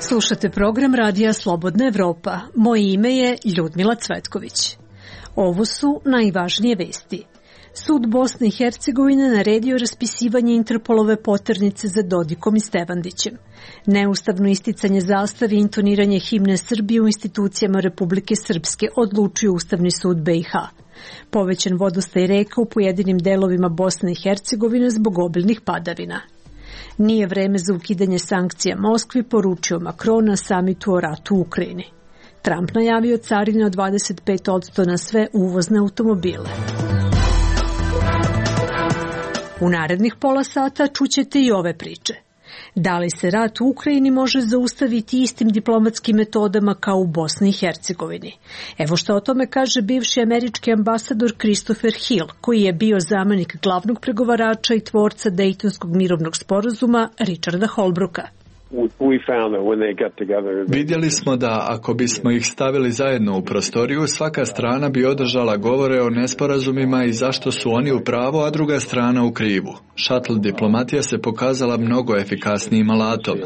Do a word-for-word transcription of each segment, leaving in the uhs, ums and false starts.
Slušate program Radija Slobodna Evropa. Moje ime je Ljudmila Cvetković. Ovo su najvažnije vesti. Sud Bosne i Hercegovine naredio raspisivanje Interpolove poternice za Dodikom i Stevandićem. Neustavno isticanje zastave i intoniranje himne Srbije u institucijama Republike Srpske odlučio Ustavni sud B i H. Povećan vodostaj reka u pojedinim delovima Bosne i Hercegovine zbog obilnih padavina. Nije vreme za ukidanje sankcija Moskvi, poručio Macron na samitu o ratu u Ukrajini. Trump najavio carine od dvadeset pet posto na sve uvozne automobile. U narednih pola sata čućete i ove priče. Da li se rat u Ukrajini može zaustaviti istim diplomatskim metodama kao u Bosni i Hercegovini? Evo što o tome kaže bivši američki ambasador Christopher Hill, koji je bio zamenik glavnog pregovarača i tvorca Dejtonskog mirovnog sporazuma Richarda Holbrooka. Vidjeli smo da ako bismo ih stavili zajedno u prostoriju, svaka strana bi održala govore o nesporazumima i zašto su oni u pravu, a druga strana u krivu. Šatl diplomatija se pokazala mnogo efikasnijim alatom.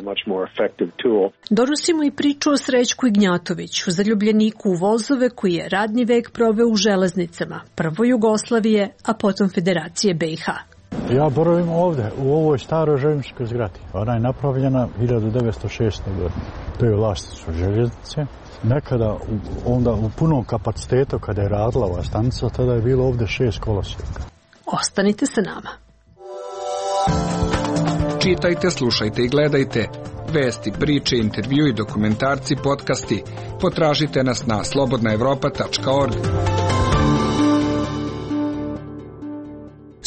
Donosimo i priču o Srećku Ignjatoviću, zaljubljeniku u vozove koji je radni vek proveo u železnicama, prvo Jugoslavije, a potom Federacije B i H. Ja boravim ovdje, u ovoj staroj željezničkoj zgradi. Ona je napravljena hiljadu devetsto šeste. godine. To je vlasništvo željeznice. Nekada, onda u punom kapacitetu, kada je radila ova stanica, tada je bilo ovdje šest kolosijeka. Ostanite sa nama. Čitajte, slušajte i gledajte. Vesti, priče, intervjui, dokumentarci, podcasti. Potražite nas na slobodna evropa tačka org.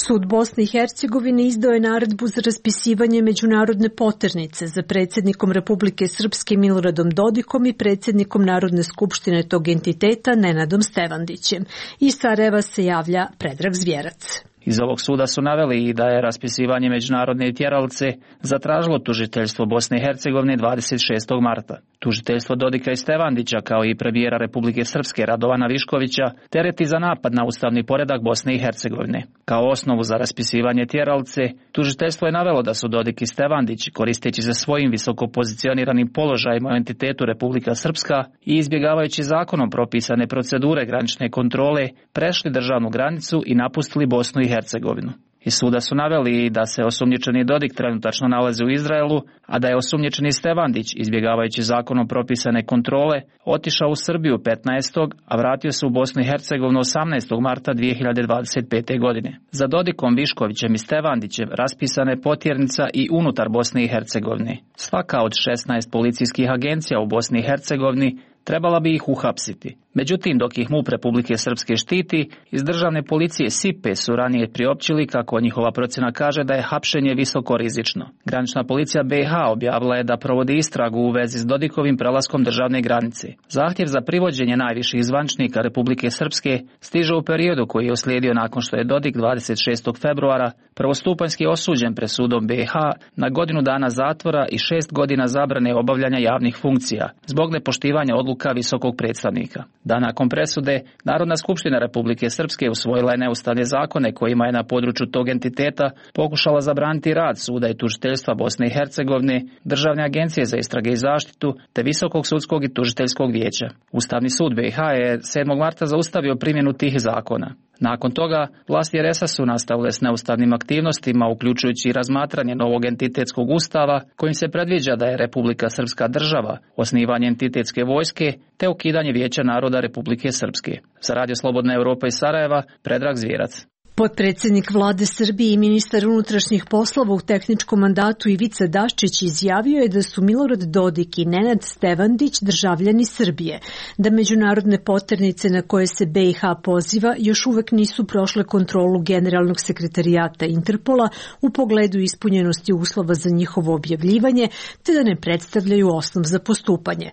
Sud Bosne i Hercegovine izdao je naredbu za raspisivanje međunarodne poternice za predsjednikom Republike Srpske Miloradom Dodikom i predsjednikom Narodne skupštine tog entiteta Nenadom Stevandićem. Iz Sarajeva se javlja Predrag Zvjerac. Iz ovog suda su naveli i da je raspisivanje međunarodne tjeralice zatražilo tužiteljstvo Bosne i Hercegovine dvadeset šestog marta. Tužiteljstvo Dodika i Stevandića, kao i premijera Republike Srpske Radovana Viškovića, tereti za napad na ustavni poredak Bosne i Hercegovine. Kao osnovu za raspisivanje tjeralice, tužiteljstvo je navelo da su Dodik i Stevandić, koristeći se svojim visoko pozicioniranim položajima u entitetu Republika Srpska i izbjegavajući zakonom propisane procedure granične kontrole, prešli državnu granicu i napustili Bosnu i Hercegovinu. Iz suda su naveli da se osumnjičeni Dodik trenutačno nalazi u Izraelu, a da je osumnjičeni Stevandić, izbjegavajući zakonom propisane kontrole, otišao u Srbiju petnaestog a vratio se u Bosnu i Hercegovinu osamnaestog marta dvije hiljade dvadeset pete. godine. Za Dodikom, Viškovićem i Stevandićem raspisana je potjernica i unutar Bosne i Hercegovine. Svaka od šesnaest policijskih agencija u Bosni i Hercegovini trebala bi ih uhapsiti. Međutim, dok ih MUP Republike Srpske štiti, iz državne policije SIPE su ranije priopćili kako njihova procjena kaže da je hapšenje visoko rizično. Granična policija B i H objavila je da provodi istragu u vezi s Dodikovim prelaskom državne granice. Zahtjev za privođenje najviših zvaničnika Republike Srpske stiže u periodu koji je uslijedio nakon što je Dodik dvadeset šestog februara prvostupanjski osuđen presudom B i H na godinu dana zatvora i šest godina zabrane obavljanja javnih funkcija zbog nepoštivanja odluka visokog predstavnika. Dan nakon presude, Narodna skupština Republike Srpske usvojila je neustavne zakone kojima je na području tog entiteta pokušala zabraniti rad suda i tužiteljstva Bosne i Hercegovine, Državne agencije za istrage i zaštitu te Visokog sudskog i tužiteljskog vijeća. Ustavni sud B i H je sedmog marta zaustavio primjenu tih zakona. Nakon toga, vlasti R S A su nastavile s neustavnim aktivnostima, uključujući i razmatranje novog entitetskog ustava, kojim se predviđa da je Republika Srpska država, osnivanje entitetske vojske, te ukidanje Vijeća naroda Republike Srpske. Za Radio Slobodna Evropa iz Sarajeva, Predrag Zvjerac. Potpredsjednik vlade Srbije i ministar unutrašnjih poslova u tehničkom mandatu Ivica Daščić izjavio je da su Milorad Dodik i Nenad Stevandić državljani Srbije, da međunarodne poternice na koje se B i H poziva još uvek nisu prošle kontrolu Generalnog sekretarijata Interpola u pogledu ispunjenosti uslova za njihovo objavljivanje, te da ne predstavljaju osnov za postupanje.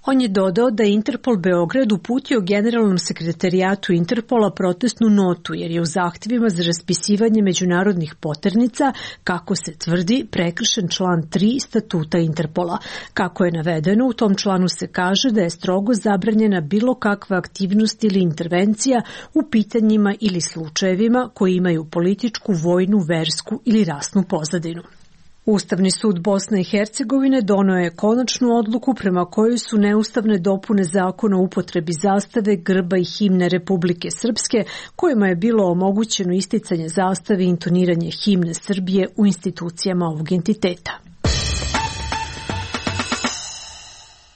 On je dodao da je Interpol Beograd uputio Generalnom sekretarijatu Interpola protestnu notu jer je u zahtjevu za raspisivanje međunarodnih poternica, kako se tvrdi, prekršen član tri statuta Interpola. Kako je navedeno, u tom članu se kaže da je strogo zabranjena bilo kakva aktivnost ili intervencija u pitanjima ili slučajevima koji imaju političku, vojnu, versku ili rasnu pozadinu. Ustavni sud Bosne i Hercegovine doneo je konačnu odluku prema kojoj su neustavne dopune zakona o upotrebi zastave, grba i himne Republike Srpske, kojima je bilo omogućeno isticanje zastave i intoniranje himne Srbije u institucijama ovog entiteta.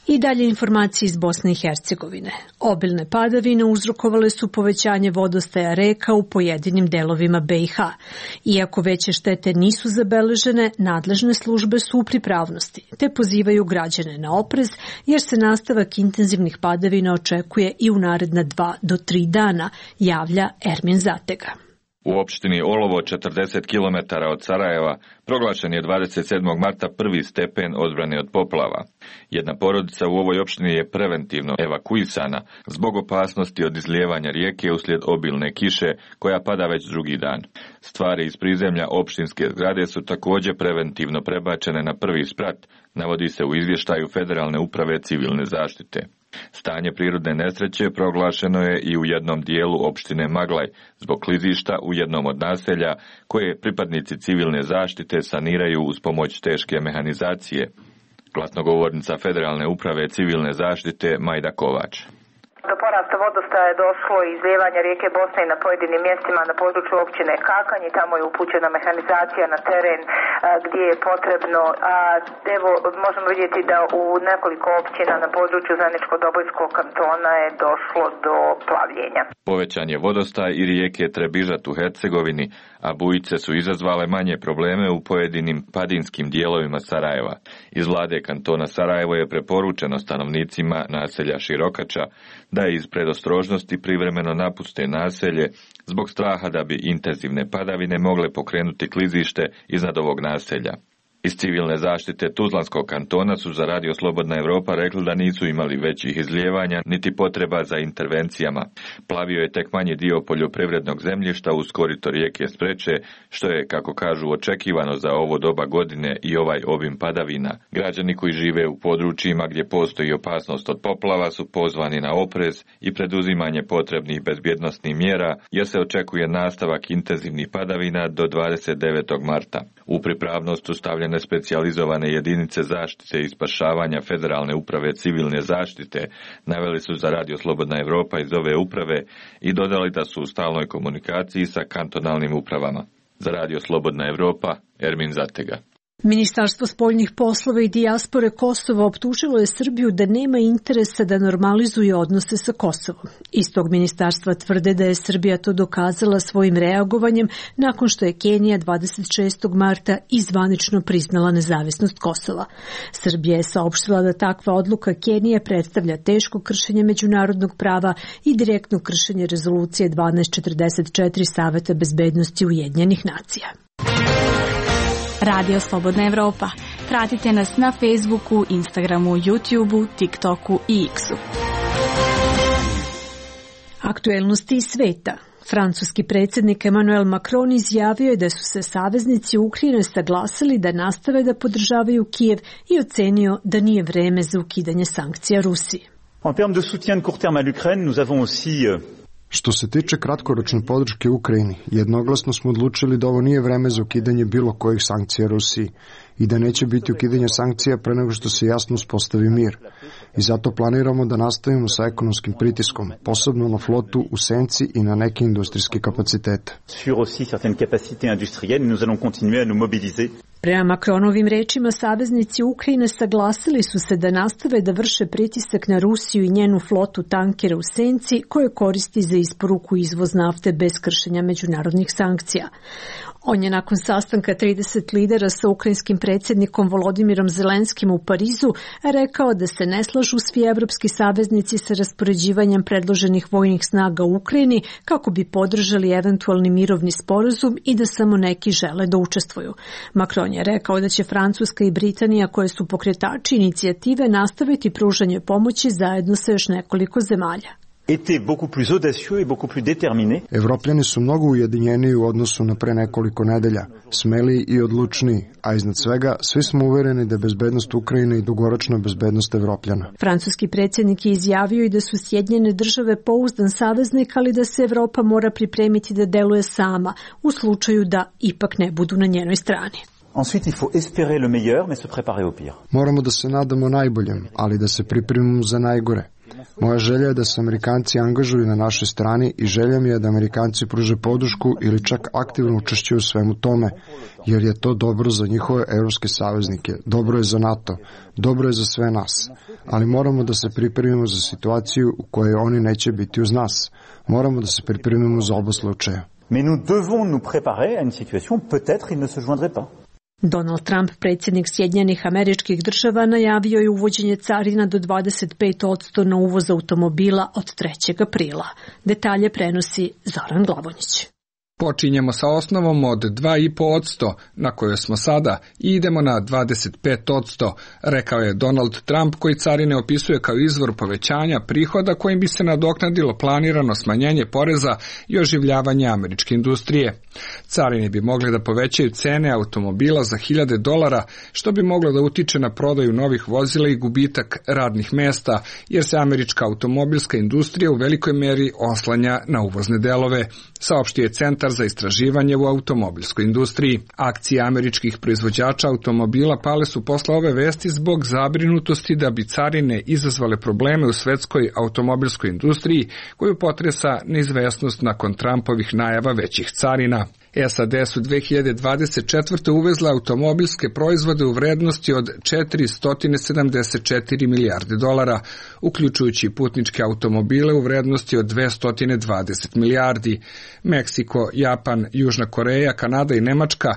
I dalje informacije iz Bosne i Hercegovine. Obilne padavine uzrokovale su povećanje vodostaja reka u pojedinim delovima be i ha. Iako veće štete nisu zabeležene, nadležne službe su u pripravnosti, te pozivaju građane na oprez, jer se nastavak intenzivnih padavina očekuje i u naredna dva do tri dana, javlja Ermin Zatega. U opštini Olovo, četrdeset kilometara od Sarajeva, proglašen je dvadeset sedmog marta prvi stepen odbrane od poplava. Jedna porodica u ovoj opštini je preventivno evakuisana zbog opasnosti od izlijevanja rijeke uslijed obilne kiše koja pada već drugi dan. Stvari iz prizemlja opštinske zgrade su također preventivno prebačene na prvi sprat, navodi se u izvještaju Federalne uprave civilne zaštite. Stanje prirodne nesreće proglašeno je i u jednom dijelu opštine Maglaj zbog klizišta u jednom od naselja koje pripadnici civilne zaštite saniraju uz pomoć teške mehanizacije. Glasnogovornica Federalne uprave civilne zaštite Majda Kovač. Do porasta vodostaja je došlo izlijevanja rijeke Bosne i na pojedinim mjestima na području općine Kakanj i tamo je upućena mehanizacija na teren a, gdje je potrebno. A, evo, možemo vidjeti da u nekoliko općina na području Zeničko-Dobojskog kantona je došlo do plavljenja. Povećan je vodostaj i rijeke Trebižat u Hercegovini, a bujice su izazvale manje probleme u pojedinim padinskim dijelovima Sarajeva. Iz vlade kantona Sarajevo je preporučeno stanovnicima naselja Širokača da iz predostrožnosti privremeno napuste naselje zbog straha da bi intenzivne padavine mogle pokrenuti klizište iznad ovog naselja. Iz civilne zaštite Tuzlanskog kantona su za Radio Slobodna Evropa rekli da nisu imali većih izlijevanja niti potreba za intervencijama. Plavio je tek manji dio poljoprivrednog zemljišta uz korito rijeke Spreče, što je, kako kažu, očekivano za ovo doba godine i ovaj obim padavina. Građani koji žive u područjima gdje postoji opasnost od poplava su pozvani na oprez i preduzimanje potrebnih bezbjednosnih mjera, jer se očekuje nastavak intenzivnih padavina do dvadeset devetog marta. U pripravnost su stavljene specijalizovane jedinice zaštite i spašavanja Federalne uprave civilne zaštite, naveli su za Radio Slobodna Evropa iz ove uprave i dodali da su u stalnoj komunikaciji sa kantonalnim upravama. Za Radio Slobodna Evropa, Ermin Zatega. Ministarstvo spoljnih poslova i dijaspore Kosova optužilo je Srbiju da nema interesa da normalizuje odnose sa Kosovom. Iz tog ministarstva tvrde da je Srbija to dokazala svojim reagovanjem nakon što je Kenija dvadeset šestog marta izvanično priznala nezavisnost Kosova. Srbija je saopštila da takva odluka Kenije predstavlja teško kršenje međunarodnog prava i direktno kršenje rezolucije dvanaest četrdeset četiri Saveta bezbednosti Ujedinjenih nacija. Radio Slobodna Evropa. Pratite nas na Facebooku, Instagramu, YouTubeu, TikToku i X-u. Aktuelnosti iz sveta. Francuski predsjednik Emmanuel Macron izjavio je da su se saveznici Ukrajine saglasili da nastave da podržavaju Kijev i ocenio da nije vreme za ukidanje sankcija Rusiji. En termes de soutien de court terme à l'Ukraine, nous avons aussi Što se tiče kratkoročne podrške Ukrajini, jednoglasno smo odlučili da ovo nije vreme za ukidanje bilo kojih sankcija Rusiji i da neće biti ukidanje sankcija pre nego što se jasno uspostavi mir. I zato planiramo da nastavimo sa ekonomskim pritiskom, posebno na flotu u senci i na neke industrijske kapacitete. Sur aussi certaines capacités industrielles, nous allons continuer à nous mobiliser. Prema Macronovim rečima, saveznici Ukrajine saglasili su se da nastave da vrše pritisak na Rusiju i njenu flotu tankera u senci koje koristi za isporuku i izvoz nafte bez kršenja međunarodnih sankcija. On je nakon sastanka trideset lidera sa ukrajinskim predsjednikom Volodimirom Zelenskim u Parizu rekao da se ne slažu svi evropski saveznici sa raspoređivanjem predloženih vojnih snaga u Ukrajini kako bi podržali eventualni mirovni sporazum i da samo neki žele da učestvuju. Macron je rekao da će Francuska i Britanija, koje su pokretači inicijative, nastaviti pružanje pomoći zajedno sa još nekoliko zemalja. Evropljani su mnogo ujedinjeniji u odnosu na pre nekoliko nedelja, smeliji i odlučniji, a iznad svega svi smo uvereni da je bezbednost Ukrajine i dugoročna bezbednost Evropljana. Francuski predsjednik je izjavio i da su Sjedinjene države pouzdan saveznik, ali da se Evropa mora pripremiti da deluje sama u slučaju da ipak ne budu na njenoj strani. Ensuite, il faut espérer le meilleur, mais se préparer au pire. Moramo da se nadamo najboljem, ali da se pripremimo za najgore. Moja želja je da se Amerikanci angažuju na našoj strani i želja mi je da Amerikanci pruže podršku ili čak aktivno učešćuju u svemu tome, jer je to dobro za njihove evropske saveznike, dobro je za NATO, dobro je za sve nas. Ali moramo da se pripremimo za situaciju u kojoj oni neće biti uz nas. Moramo da se pripremimo za oba slučaja. Mais nous devons nous préparer à une situation peut-être il ne se joindrait pas. Donald Trump, predsjednik Sjedinjenih Američkih Država, najavio je uvođenje carina do dvadeset pet posto na uvoz automobila od trećeg aprila. Detalje prenosi Zoran Glavonjić. Počinjemo sa osnovom od dva i po posto na kojoj smo sada i idemo na dvadeset pet posto, rekao je Donald Trump, koji carine opisuje kao izvor povećanja prihoda kojim bi se nadoknadilo planirano smanjenje poreza i oživljavanje američke industrije. Carine bi mogle da povećaju cene automobila za hiljade dolara, što bi moglo da utiče na prodaju novih vozila i gubitak radnih mesta, jer se američka automobilska industrija u velikoj meri oslanja na uvozne delove, saopštio je Centar za istraživanje u automobilskoj industriji. Akcije američkih proizvođača automobila pale su posle ove vesti zbog zabrinutosti da bi carine izazvale probleme u svetskoj automobilskoj industriji, koju potresa neizvesnost nakon Trumpovih najava većih carina. S A D su dve hiljade dvadeset četvrte uvezle automobilske proizvode u vrednosti od četiristo sedamdeset četiri milijarde dolara, uključujući putničke automobile u vrednosti od dvesta dvadeset milijardi. Meksiko, Japan, Južna Koreja, Kanada i Nemačka,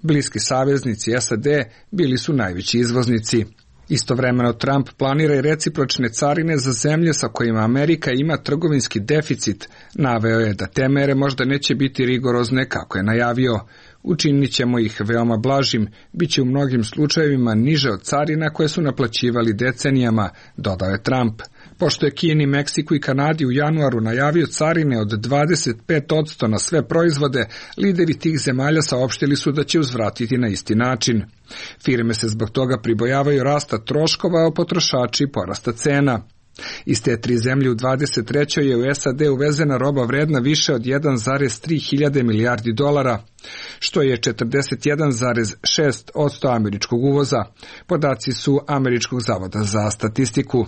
bliski saveznici S A D, bili su najveći izvoznici. Istovremeno Trump planira i recipročne carine za zemlje sa kojima Amerika ima trgovinski deficit. Naveo je da te mere možda neće biti rigorozne kako je najavio. Učinit ćemo ih veoma blažim, bit će u mnogim slučajevima niže od carina koje su naplaćivali decenijama, dodao je Trump. Pošto je Kini, Meksiku i Kanadi u januaru najavio carine od dvadeset pet posto na sve proizvode, lideri tih zemalja saopštili su da će uzvratiti na isti način. Firme se zbog toga pribojavaju rasta troškova, a potrošači porasta cena. Iz te tri zemlje u dvadeset trećoj je u S A D uvezena roba vredna više od jedan zarez tri hiljade milijardi dolara, što je četrdeset jedan zarez šest posto američkog uvoza. Podaci su Američkog zavoda za statistiku.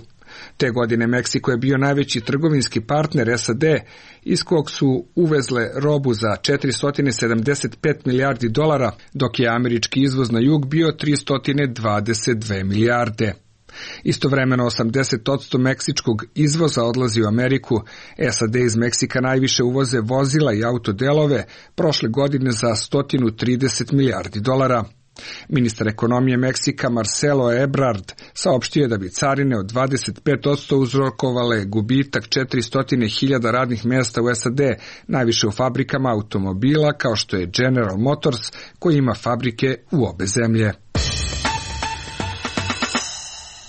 Te godine Meksiko je bio najveći trgovinski partner S A D, iz kog su uvezle robu za četiristo sedamdeset pet milijardi dolara, dok je američki izvoz na jug bio tristo dvadeset dve milijarde. Istovremeno osamdeset posto meksičkog izvoza odlazi u Ameriku. S A D iz Meksika najviše uvoze vozila i autodelove, prošle godine za sto trideset milijardi dolara. Ministar ekonomije Meksika Marcelo Ebrard saopštio je da bi carine od dvadeset pet posto uzrokovale gubitak četiristo hiljada radnih mjesta u S A D, najviše u fabrikama automobila kao što je General Motors, koji ima fabrike u obe zemlje.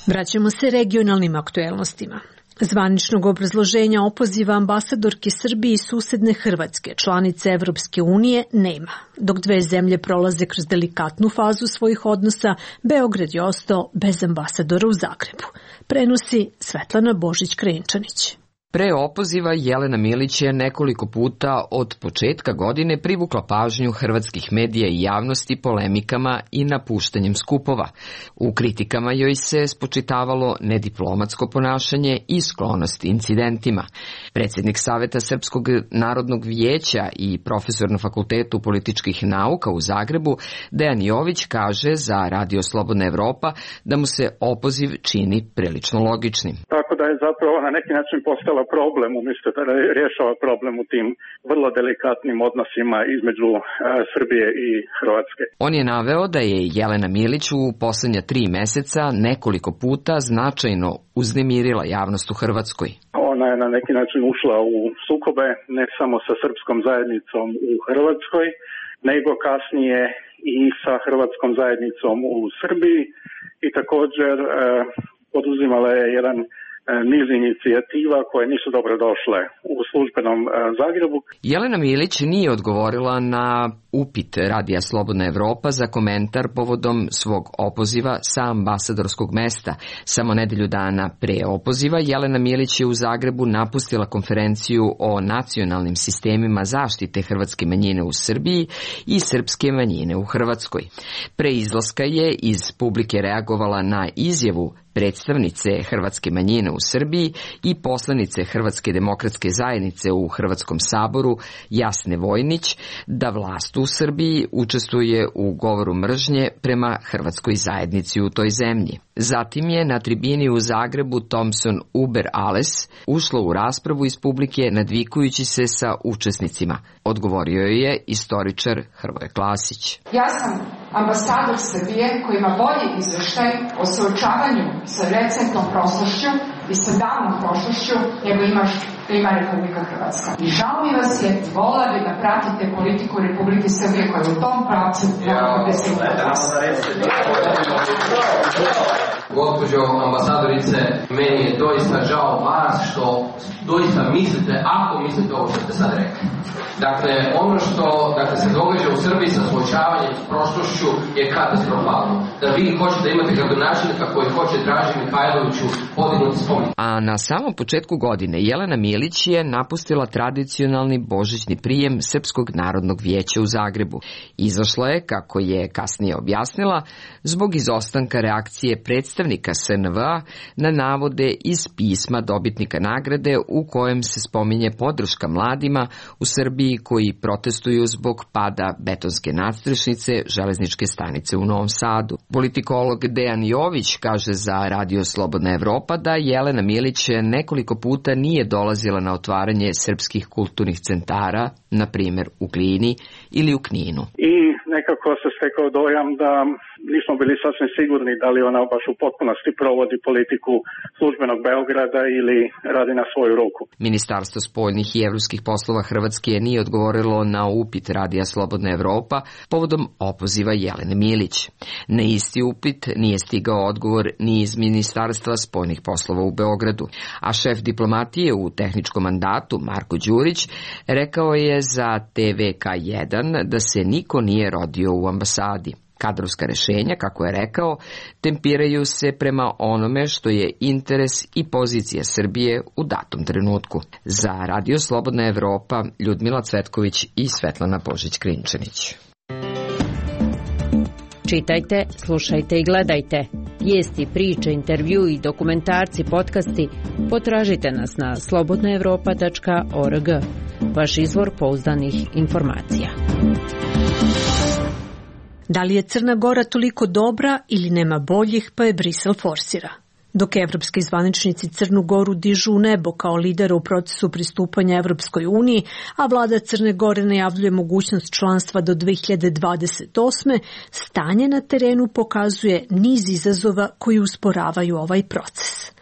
Vraćamo se regionalnim aktuelnostima. Zvaničnog obrazloženja opoziva ambasadorke Srbije i susedne Hrvatske, članice Evropske unije, nema. Dok dve zemlje prolaze kroz delikatnu fazu svojih odnosa, Beograd je ostao bez ambasadora u Zagrebu. Prenosi Svetlana Božić-Krenčanić. Pre opoziva Jelena Milić je nekoliko puta od početka godine privukla pažnju hrvatskih medija i javnosti polemikama i napuštanjem skupova. U kritikama joj se spočitavalo nediplomatsko ponašanje i sklonost incidentima. Predsjednik Saveta Srpskog narodnog vijeća i profesor na Fakultetu političkih nauka u Zagrebu, Dejan Jović, kaže za Radio Slobodna Evropa da mu se opoziv čini prilično logičnim. Tako da je zapravo na neki način postala problem, umjesto da rješava problem u tim vrlo delikatnim odnosima između uh, Srbije i Hrvatske. On je naveo da je Jelena Milić u posljednja tri meseca nekoliko puta značajno uznemirila javnost u Hrvatskoj. Ona je na neki način ušla u sukobe ne samo sa srpskom zajednicom u Hrvatskoj, nego kasnije i sa hrvatskom zajednicom u Srbiji i također uh, poduzimala je jedan niz inicijativa koje nisu dobro došle u službenom Zagrebu. Jelena Milić nije odgovorila na upit Radija Slobodna Evropa za komentar povodom svog opoziva sa ambasadorskog mesta. Samo nedelju dana pre opoziva Jelena Milić je u Zagrebu napustila konferenciju o nacionalnim sistemima zaštite hrvatske manjine u Srbiji i srpske manjine u Hrvatskoj. Pre izlaska je iz publike reagovala na izjavu predstavnice hrvatske manjine u Srbiji i poslanice Hrvatske demokratske zajednice u Hrvatskom saboru Jasne Vojnić da vlast u Srbiji učestvuje u govoru mržnje prema hrvatskoj zajednici u toj zemlji. Zatim je na tribini u Zagrebu Thomson Uber Ales ušla u raspravu iz publike nadvikujući se sa učesnicima. Odgovorio je istoričar Hrvoje Klasić. Ja sam ambasador Srbije koji ima bolji izveštaj o suočavanju sa recentnom prošlošću i sa davnom prošlošću nego imaš da ima Republika Hrvatska. I žao mi vas je, vola bi da pratite politiku Republike Srbije koja je u tom pravcu da se Gospođo ambasadorice, meni je doista žao vas što doista mislite, ako mislite ovo što ste sad rekli. Dakle, ono što dakle, se događa u Srbiji sa suočavanjem s prošlošću je katastrofalno. Da vi hoćete da imate gradonačelnika koji hoće Draži Mihajloviću podignuti spomenik. A na samom početku godine Jelena Milić je napustila tradicionalni božićni prijem Srpskog narodnog vijeća u Zagrebu. Izašla je, kako je kasnije objasnila, zbog izostanka reakcije predstavnika S N V A na navode iz pisma dobitnika nagrade u kojem se spominje podrška mladima u Srbiji koji protestuju zbog pada betonske nadstrešnice železničke stanice u Novom Sadu. Politikolog Dejan Jović kaže za Radio Slobodna Evropa da Jelena Milić nekoliko puta nije dolazila na otvaranje srpskih kulturnih centara, na primjer u Glini ili u Kninu. I nekako se stekao dojam da nismo bili sasvim sigurni da li ona baš u potpunosti provodi politiku službenog Beograda ili radi na svoju ruku. Ministarstvo spoljnih i evropskih poslova Hrvatske nije odgovorilo na upit Radija Slobodna Evropa povodom opoziva Jelene Milić. Na isti upit nije stigao odgovor ni iz Ministarstva spoljnih poslova u Beogradu, a šef diplomatije u tehničkom mandatu Marko Đurić rekao je za T V K jedan da se niko nije rodio u ambasadi. Kadrovska rešenja, kako je rekao, tempiraju se prema onome što je interes i pozicija Srbije u datom trenutku. Za Radio Slobodna Evropa, Ljudmila Cvetković i Svetlana Božić-Krinčanić. Čitajte, slušajte i gledajte. Vijesti, priče, intervju i dokumentarci, podcasti potražite nas na slobodna evropa tačka org. Vaš izvor pouzdanih informacija. Da li je Crna Gora toliko dobra ili nema boljih, pa je Brisel forsira? Dok evropski zvaničnici Crnu Goru dižu u nebo kao lidera u procesu pristupanja Evropskoj uniji, a vlada Crne Gore najavljuje mogućnost članstva do dve hiljade dvadeset osme, stanje na terenu pokazuje niz izazova koji usporavaju ovaj proces.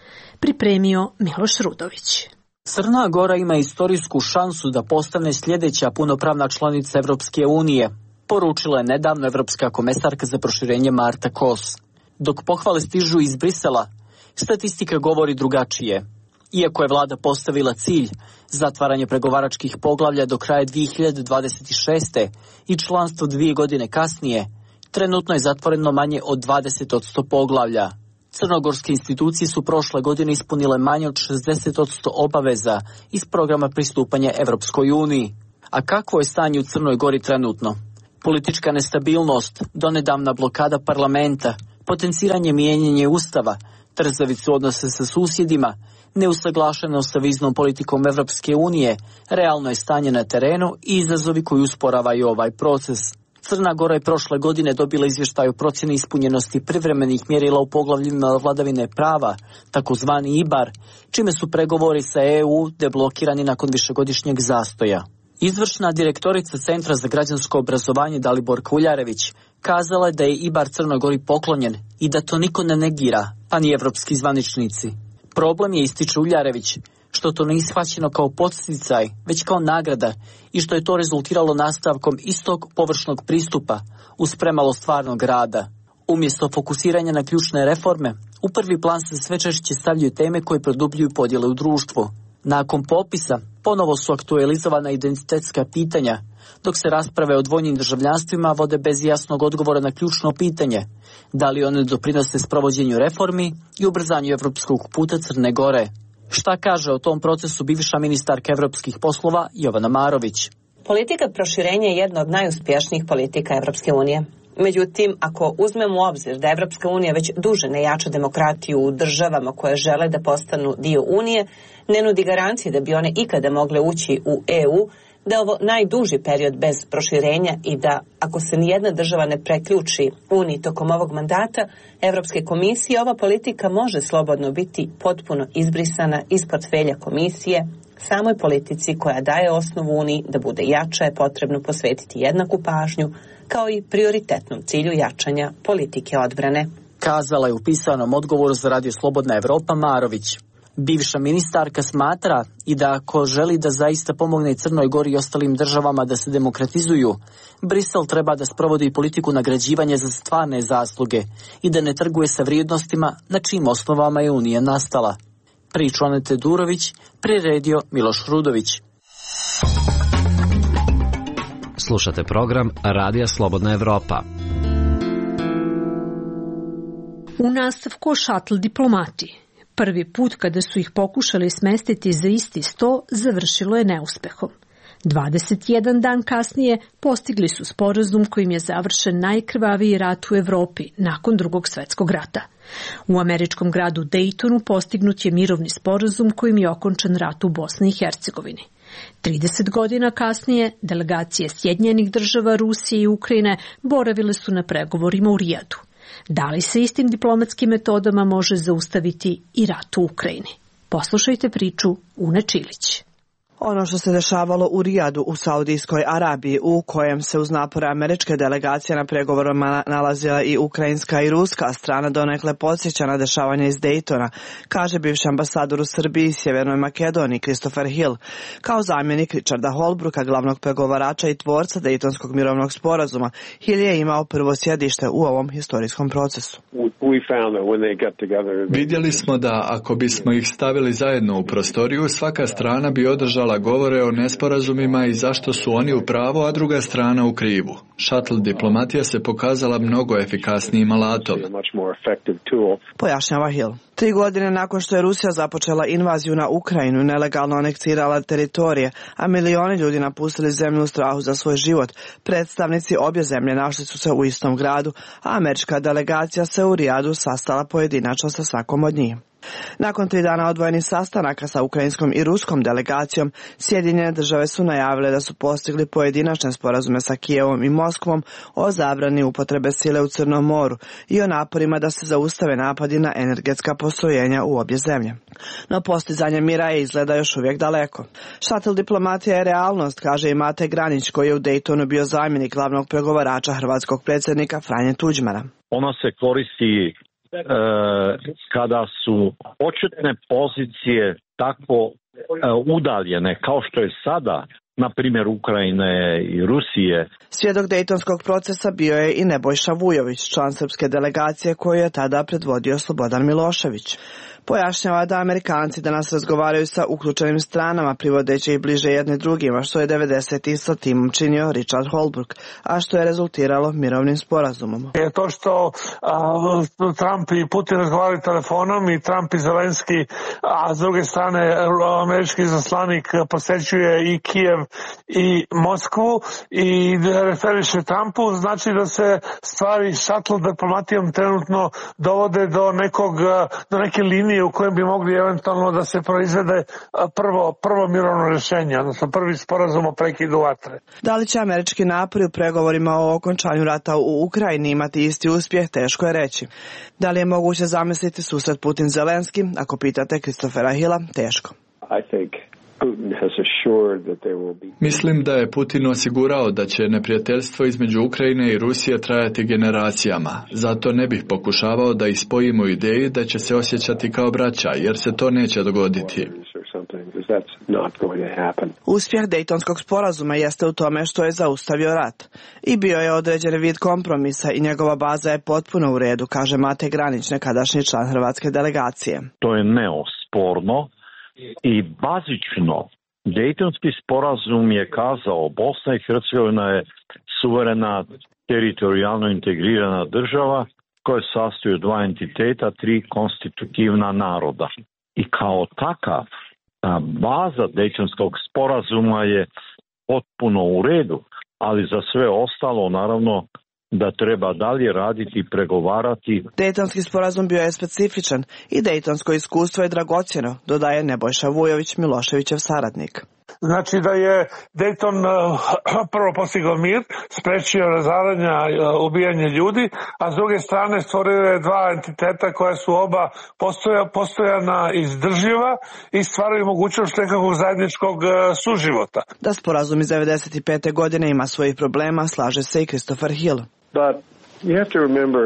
Pripremio Miloš Rudović. Crna Gora ima istorijsku šansu da postane sljedeća punopravna članica Evropske unije, poručila je nedavno evropska komesarka za proširenje Marta Kos. Dok pohvale stižu iz Brisela, statistika govori drugačije. Iako je vlada postavila cilj zatvaranje pregovaračkih poglavlja do kraja dve hiljade dvadeset šeste i članstvo dvije godine kasnije, trenutno je zatvoreno manje od dvadeset posto poglavlja. Crnogorske institucije su prošle godine ispunile manje od šezdeset posto obaveza iz programa pristupanja Evropskoj uniji. A kakvo je stanje u Crnoj Gori trenutno? Politička nestabilnost, donedavna blokada parlamenta, potenciranje mijenjanja ustava, trzavicu odnose sa susjedima, neusaglašenost sa viznom politikom Evropske unije, realno je stanje na terenu i izazovi koji usporavaju ovaj proces. Crna Gora je prošle godine dobila izvještaj o procjeni ispunjenosti privremenih mjerila u poglavljima vladavine prava, takozvani I B A R, čime su pregovori sa E U deblokirani nakon višegodišnjeg zastoja. Izvršna direktorica Centra za građansko obrazovanje Dalibor Kuljarević kazala je da je I B A R Crnoj Gori poklonjen i da to niko ne negira, pa ni evropski zvaničnici. Problem je, ističe Uljarević, što to nije shvaćeno kao podsticaj, već kao nagrada i što je to rezultiralo nastavkom istog površnog pristupa uz premalo stvarnog rada. Umjesto fokusiranja na ključne reforme, u prvi plan se sve češće stavljaju teme koje produbljuju podjele u društvu. Nakon popisa, ponovo su aktualizovana identitetska pitanja, dok se rasprave o dvojnim državljanstvima vode bez jasnog odgovora na ključno pitanje, da li one doprinose sprovođenju reformi i ubrzanju evropskog puta Crne Gore. Šta kaže o tom procesu bivša ministarka evropskih poslova Jovana Marović? Politika proširenja je jedna od najuspješnijih politika Evropske unije. Međutim, ako uzmemo u obzir da Evropska unija već duže ne jača demokratiju u državama koje žele da postanu dio Unije, ne nudi garancije da bi one ikada mogle ući u E U, da je ovo najduži period bez proširenja i da, ako se nijedna država ne preključi Uniji tokom ovog mandata Evropske komisije, ova politika može slobodno biti potpuno izbrisana iz portfelja komisije. Samoj politici koja daje osnovu Uniji da bude jača je potrebno posvetiti jednaku pažnju, kao i prioritetnom cilju jačanja politike odbrane. Kazala je u pisanom odgovoru za Radio Slobodna Evropa Marović. Bivša ministarka smatra i da ako želi da zaista pomogne Crnoj Gori i ostalim državama da se demokratizuju, Brisel treba da sprovodi politiku nagrađivanja za stvarne zasluge i da ne trguje sa vrijednostima na čijim osnovama je Unija nastala. Priču Anete Durović, priredio Miloš Rudović. Slušate program Radija Slobodna Evropa. U nastavku o šatl diplomati. Prvi put kada su ih pokušali smestiti za isti sto, završilo je neuspehom. dvadeset jedan dan kasnije postigli su sporazum kojim je završen najkrvaviji rat u Evropi nakon Drugog svetskog rata. U američkom gradu Daytonu postignut je mirovni sporazum kojim je okončan rat u Bosni i Hercegovini. trideset godina kasnije, delegacije Sjedinjenih država, Rusije i Ukrajine boravile su na pregovorima u Rijadu. Da li se istim diplomatskim metodama može zaustaviti i rat u Ukrajini? Poslušajte priču Une Čilić. Ono što se dešavalo u Rijadu u Saudijskoj Arabiji, u kojem se uz napore američke delegacije na pregovorima nalazila i ukrajinska i ruska strana, donekle podsjeća na dešavanje iz Daytona, kaže bivši ambasador u Srbiji i Sjevernoj Makedoniji Christopher Hill, kao zamjenik Richarda Holbrooka, glavnog pregovarača i tvorca Daytonskog mirovnog sporazuma. Hill je imao prvo sjedište u ovom historijskom procesu. Vidjeli smo da ako bismo ih stavili zajedno u prostoriju, svaka strana bi održala govore o nesporazumima i zašto su oni u pravu, a druga strana u krivu. Šatl diplomatija se pokazala mnogo efikasnijim alatom. Pojašnjava Hill. Tri godine nakon što je Rusija započela invaziju na Ukrajinu i nelegalno aneksirala teritorije, a milioni ljudi napustili zemlju u strahu za svoj život, predstavnici obje zemlje našli su se u istom gradu, a američka delegacija se u Rijadu sastala pojedinačno sa svakom od njih. Nakon tri dana odvojenih sastanaka sa ukrajinskom i ruskom delegacijom, Sjedinjene države su najavile da su postigli pojedinačne sporazume sa Kijevom i Moskvom o zabrani upotrebe sile u Crnom moru i o naporima da se zaustave napadi na energetska postrojenja u obje zemlje. No postizanje mira je izgleda još uvijek daleko. Šatl diplomatija je realnost, kaže i Mate Granić, koji je u Daytonu bio zamjenik glavnog pregovarača hrvatskog predsjednika Franje Tuđmana. Ona se koristi kada su početne pozicije tako udaljene kao što je sada, na primjer Ukrajine i Rusije. Svjedok Dejtonskog procesa bio je i Nebojša Vujović, član srpske delegacije koju je tada predvodio Slobodan Milošević. Pojašnjava da Amerikanci danas razgovaraju sa uključenim stranama, privodeći ih bliže jedni drugima, što je devedesetih sa timom činio Richard Holbrooke, a što je rezultiralo mirovnim sporazumom. Je to što a, Trump i Putin razgovaraju telefonom i Trump i Zelenski, a s druge strane američki zaslanik posećuje i Kijev i Moskvu i referiše Trumpu, znači da se stvari šatl diplomatijom trenutno dovode do nekog, do neke linije u kojem bi mogli eventualno da se proizvede prvo, prvo mirovno rješenje, odnosno prvi sporazum o prekidu vatre. Da li će američki napori u pregovorima o okončanju rata u Ukrajini imati isti uspjeh, teško je reći. Da li je moguće zamisliti susret Putin-Zelenski? Ako pitate Christophera Hilla, teško. I think Mislim da je Putin osigurao da će neprijateljstvo između Ukrajine i Rusije trajati generacijama. Zato ne bih pokušavao da ih spojimo u ideji da će se osjećati kao braća, jer se to neće dogoditi. Uspjeh Dejtonskog sporazuma jeste u tome što je zaustavio rat i bio je određen vid kompromisa i njegova baza je potpuno u redu, kaže Mate Granić, nekadašnji član hrvatske delegacije. To je neosporno i bazično. Dejtonski sporazum je kazao Bosna i Hercegovina je suverena, teritorijalno integrirana država koja se sastoji od dva entiteta, tri konstitutivna naroda. I kao takav, ta baza Dejtonskog sporazuma je potpuno u redu, ali za sve ostalo naravno da treba dalje raditi i pregovarati. Dejtonski sporazum bio je specifičan i dejtonsko iskustvo je dragocjeno, dodaje Nebojša Vujović, Miloševićev saradnik. Znači da je Dejton uh, prvo postigao mir, sprečio razaranja, uh, ubijanje ljudi, a s druge strane stvorio je dva entiteta koja su oba postoja, postojana izdrživa i stvaraju mogućnost nekakvog zajedničkog uh, suživota. Da sporazum iz devedeset pete godine ima svojih problema, slaže se i Christopher Hill. But you have to remember,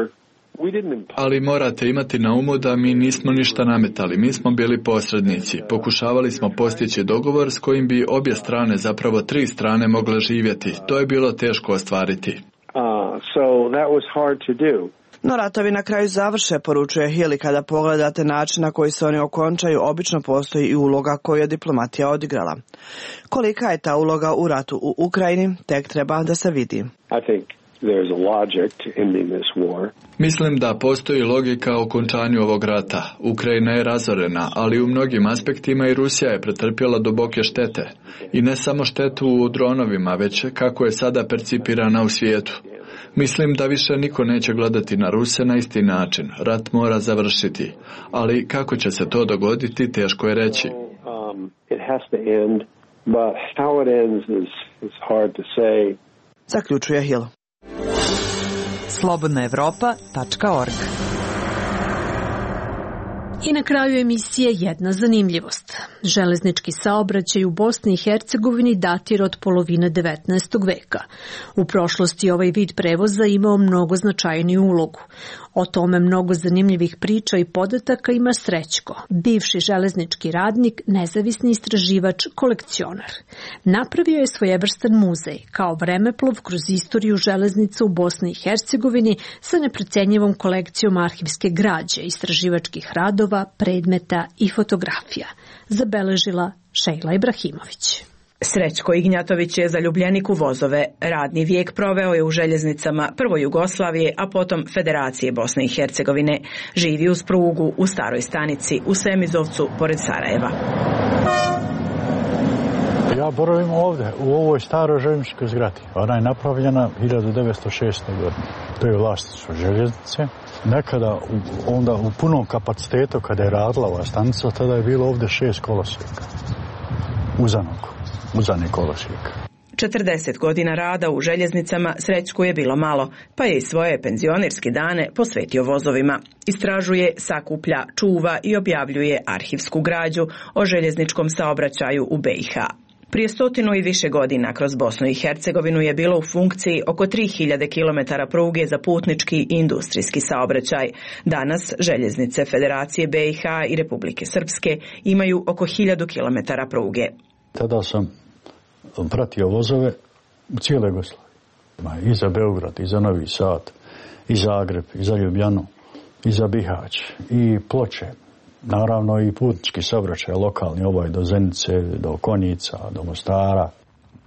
ali morate imati na umu da mi nismo ništa nametali, mi smo bili posrednici. Pokušavali smo postići dogovor s kojim bi obje strane, zapravo tri strane, mogle živjeti. To je bilo teško ostvariti. Uh, so that was hard to do. No ratovi na kraju završe, poručuje Hill, kada pogledate način na koji se oni okončaju, obično postoji i uloga koju je diplomatija odigrala. Kolika je ta uloga u ratu u Ukrajini, tek treba da se vidi. I think there's a logic to ending this war. Mislim da postoji logika o okončanju ovog rata. Ukrajina je razorena, ali u mnogim aspektima i Rusija je pretrpjela duboke štete. I ne samo štetu u dronovima, već kako je sada percipirana u svijetu. Mislim da više niko neće gledati na Ruse na isti način. Rat mora završiti. Ali kako će se to dogoditi, teško je reći. Um, it has to end, but how it ends is, is hard to say. Zaključuje Hill. slobodna evropa tačka org. I na kraju emisije jedna zanimljivost. Železnički saobraćaj u Bosni i Hercegovini datira od polovine devetnaestog veka. U prošlosti ovaj vid prevoza imao mnogo značajniju ulogu. O tome mnogo zanimljivih priča i podataka ima Srećko, bivši železnički radnik, nezavisni istraživač, kolekcionar. Napravio je svojevrstan muzej, kao vremeplov kroz istoriju železnica u Bosni i Hercegovini sa neprocenjivom kolekcijom arhivske građe, istraživačkih radova, predmeta i fotografija, zabeležila Šejla Ibrahimović. Srećko Ignjatović je zaljubljenik u vozove. Radni vijek proveo je u željeznicama prvo Jugoslavije, a potom Federacije Bosne i Hercegovine. Živi uz prugu u staroj stanici u Semizovcu pored Sarajeva. Ja boravim ovdje, u ovoj staroj željezničkoj zgradi. Ona je napravljena hiljadu devetsto šeste. godine. To je vlasništvo željeznice. Nekada, onda u punom kapacitetu, kada je radila ova stanica, tada je bilo ovdje šest kolosijeka. Uzanog, uzani kolosijek. četrdeset godina rada u željeznicama Srećku je bilo malo, pa je i svoje penzionerske dane posvetio vozovima. Istražuje, sakuplja, čuva i objavljuje arhivsku građu o željezničkom saobraćaju u be i ha. Prije stotinu i više godina kroz Bosnu i Hercegovinu je bilo u funkciji oko tri hiljade kilometara pruge za putnički i industrijski saobraćaj. Danas željeznice Federacije be i ha i Republike Srpske imaju oko hiljadu kilometara pruge. Tada sam pratio vozove u cijeloj Jugoslaviji. I za Beograd, i za Novi Sad, i Zagreb, i za Ljubljanu, i za Bihać, i Ploče. Naravno i putnički saobraćaj lokalni, ovaj do Zenice, do Konjica, do Mostara.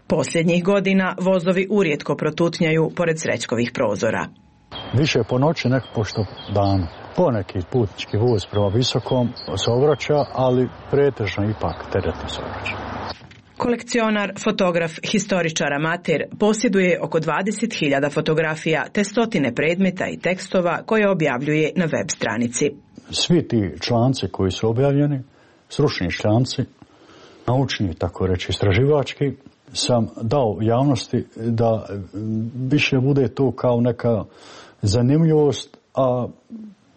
Posljednjih godina vozovi urijetko protutnjaju pored Srećkovih prozora. Više po noći nek pošto danu. Poneki putnički voz prema visokom saobraća, ali pretežno ipak teretni saobraćaj. Kolekcionar, fotograf, historičar, amater posjeduje oko dvadeset hiljada fotografija te stotine predmeta i tekstova koje objavljuje na web stranici. Svi ti članci koji su objavljeni, stručni članci, naučni, tako reći, istraživački, sam dao javnosti da više bude to kao neka zanimljivost, a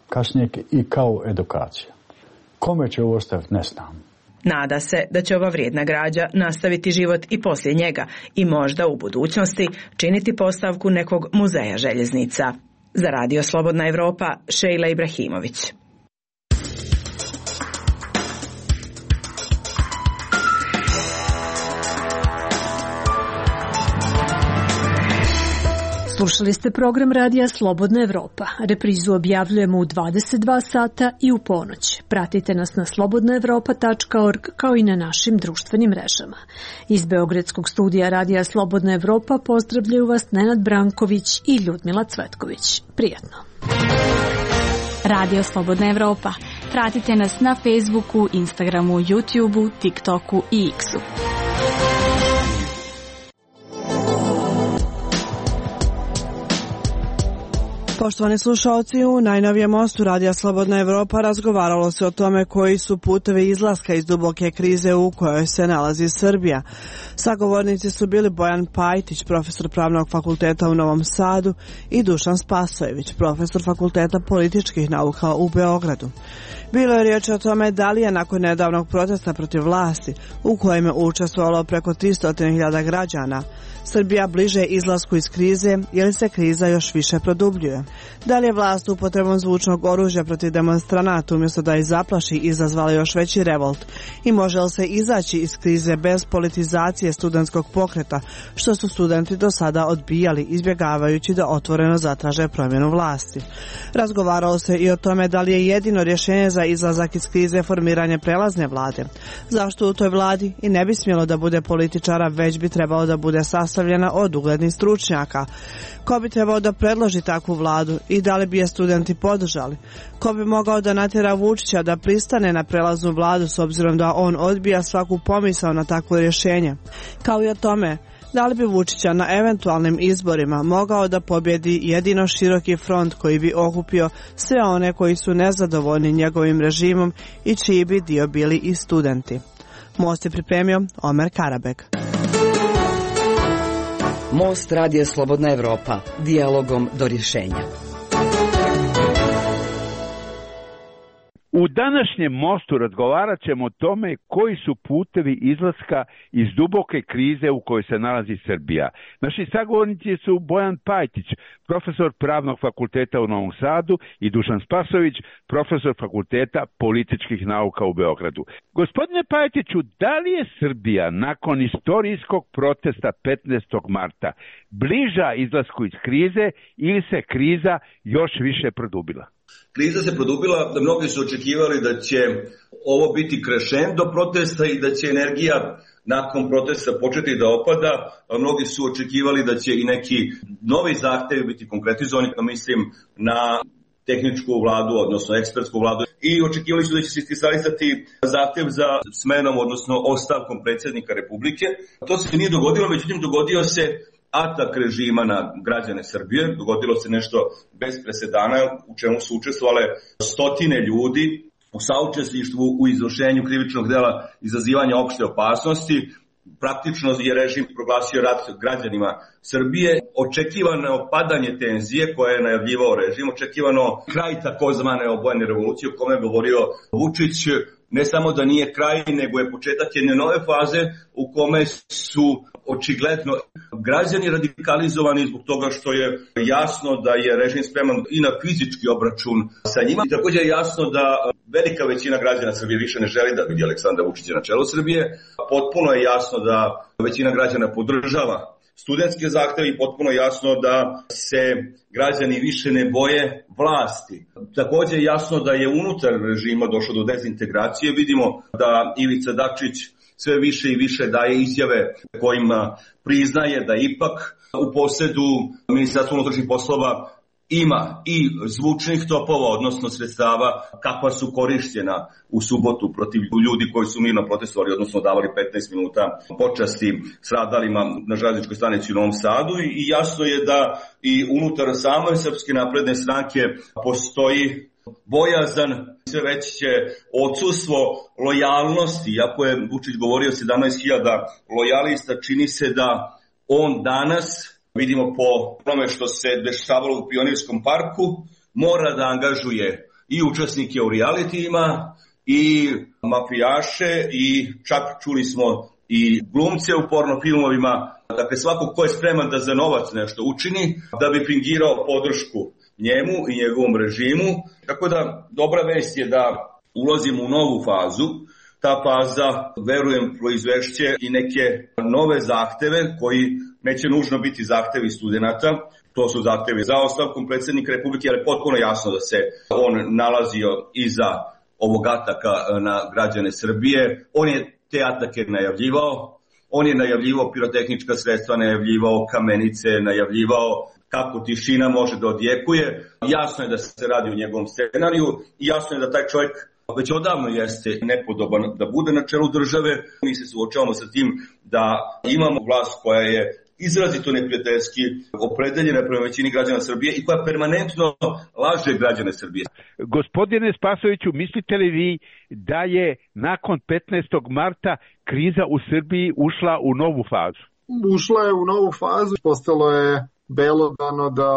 kasnije i kao edukacija. Kome će ovo ostaviti, ne znam. Nada se da će ova vrijedna građa nastaviti život i poslije njega i možda u budućnosti činiti postavku nekog muzeja željeznica. Za Radio Slobodna Evropa, Šejla Ibrahimović. Slušali ste program Radija Slobodna Evropa. Reprizu objavljujemo u dvadeset dva sata i u ponoć. Pratite nas na slobodna evropa tačka org kao i na našim društvenim mrežama. Iz Beogradskog studija Radija Slobodna Evropa pozdravljaju vas Nenad Branković i Ljudmila Cvetković. Prijatno. Radio Slobodna Evropa. Pratite nas na Facebooku, Instagramu, YouTubeu, TikToku i X-u. Poštovani slušalci, u najnovijem mostu Radija Slobodna Evropa razgovaralo se o tome koji su putevi izlaska iz duboke krize u kojoj se nalazi Srbija. Sagovornici su bili Bojan Pajtić, profesor Pravnog fakulteta u Novom Sadu, i Dušan Spasojević, profesor Fakulteta političkih nauka u Beogradu. Bilo je riječ o tome da li je nakon nedavnog protesta protiv vlasti, u kojem je učestvovalo preko tristo hiljada građana, Srbija bliže izlasku iz krize ili se kriza još više produbljuje. Da li je vlast upotrebom zvučnog oružja protiv demonstranata umjesto da ih zaplaši izazvala još veći revolt i može li se izaći iz krize bez politizacije studentskog pokreta, što su studenti do sada odbijali izbjegavajući da otvoreno zatraže promjenu vlasti. Razgovaralo se i o tome da li je jedino rješenje za izlazak iz krize formiranje prelazne vlade. Zašto u toj vladi i ne bi smjelo da bude političara, već bi trebalo da bude sastavljena od uglednih stručnjaka? Ko bi trebao da predloži takvu vladu i da li bi je studenti podržali? Ko bi mogao da natjera Vučića da pristane na prelaznu vladu s obzirom da on odbija svaku pomisao na takvo rješenje? Kao i o tome, da li bi Vučića na eventualnim izborima mogao da pobjedi jedino široki front koji bi okupio sve one koji su nezadovoljni njegovim režimom i čiji bi dio bili i studenti? Most je pripremio Omer Karabek. Most Radija Slobodna Evropa. Dijalogom do rješenja. U današnjem mostu razgovarat ćemo o tome koji su putevi izlaska iz duboke krize u kojoj se nalazi Srbija. Naši sagovornici su Bojan Pajtić, profesor Pravnog fakulteta u Novom Sadu, i Dušan Spasojević, profesor Fakulteta političkih nauka u Beogradu. Gospodine Pajtiću, da li je Srbija nakon istorijskog protesta petnaestog marta bliža izlasku iz krize ili se kriza još više produbila? Kriza se produbila, da mnogi su očekivali da će ovo biti krešendo protesta i da će energija nakon protesta početi da opada, a mnogi su očekivali da će i neki novi zahtevi biti konkretizovani, mislim na tehničku vladu, odnosno ekspertsku vladu, i očekivali su da će se iskristalisati zahtev za smenom, odnosno ostavkom predsjednika Republike. To se nije dogodilo, međutim dogodio se atak režima na građane Srbije, dogodilo se nešto bez presedana u čemu su učestvovale stotine ljudi u saučesništvu u izvršenju krivičnog dela izazivanja opšte opasnosti. Praktično je režim proglasio rat građanima Srbije, očekivano opadanje tenzije koje je najavljivao režim, očekivano kraj takozvane obojene revolucije o kome je govorio Vučić. Ne samo da nije kraj, nego je početak jedne nove faze u kome su očigledno građani radikalizovani zbog toga što je jasno da je režim spreman i na fizički obračun sa njima. I također je jasno da velika većina građana Srbije više ne želi da vidi Aleksandra Vučića na čelu Srbije. Potpuno je jasno da većina građana podržava studentske zahteve i potpuno jasno da se građani više ne boje vlasti. Također je jasno da je unutar režima došlo do dezintegracije. Vidimo da Ivica Dačić sve više i više daje izjave kojima priznaje da ipak u posjedu Ministarstva unutrašnjih poslova ima i zvučnih topova, odnosno sredstava kakva su korišćena u subotu protiv ljudi koji su mirno protestovali, odnosno davali petnaest minuta počasti stradalima na željezničkoj stanici u Novom Sadu, i jasno je da i unutar same Srpske napredne stranke postoji bojazan, sve veće odsustvo lojalnosti. Iako je Vučić govorio sedamnaest hiljada lojalista, čini se da on danas, vidimo po tome što se dešavalo u Pionirskom parku, mora da angažuje i učesnike u realitijima, i mafijaše, i čak čuli smo i glumce u porno filmovima. Dakle, svako ko je spreman da za novac nešto učini, da bi fingirao podršku njemu i njegovom režimu. Tako da dobra vest je da ulazimo u novu fazu. ta faza, verujem, proizvešće i neke nove zahteve koji neće nužno biti zahtevi studenata. To su zahtevi za ostavkom predsjednika Republike, ali je potpuno jasno da se on nalazio iza ovog ataka na građane Srbije. On je te atake najavljivao, on je najavljivao pirotehnička sredstva, najavljivao kamenice, najavljivao kako tišina može da odjekuje. Jasno je da se radi o njegovom scenariju i jasno je da taj čovjek već odavno jeste nepodoban da bude na čelu države. Mi se suočavamo sa tim da imamo vlast koja je izrazito neprijateljski opredeljena prema većini građana Srbije i koja permanentno laže građane Srbije. Gospodine Spasoviću, mislite li vi da je nakon petnaestog marta kriza u Srbiji ušla u novu fazu? Ušla je u novu fazu, postalo je belodano da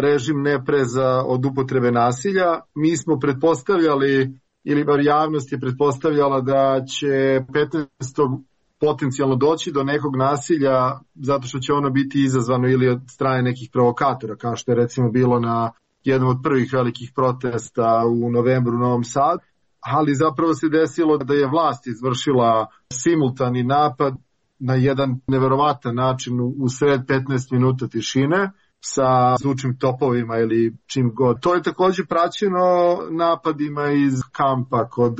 režim ne preza od upotrebe nasilja. Mi smo pretpostavljali, ili bar javnost je pretpostavljala da će petnaestog potencijalno doći do nekog nasilja zato što će ono biti izazvano ili od strane nekih provokatora, kao što je recimo bilo na jednom od prvih velikih protesta u novembru u Novom Sadu, ali zapravo se desilo da je vlast izvršila simultani napad na jedan neverovatan način u sred petnaest minuta tišine sa zvučnim topovima ili čim god. To je također praćeno napadima iz kampa kod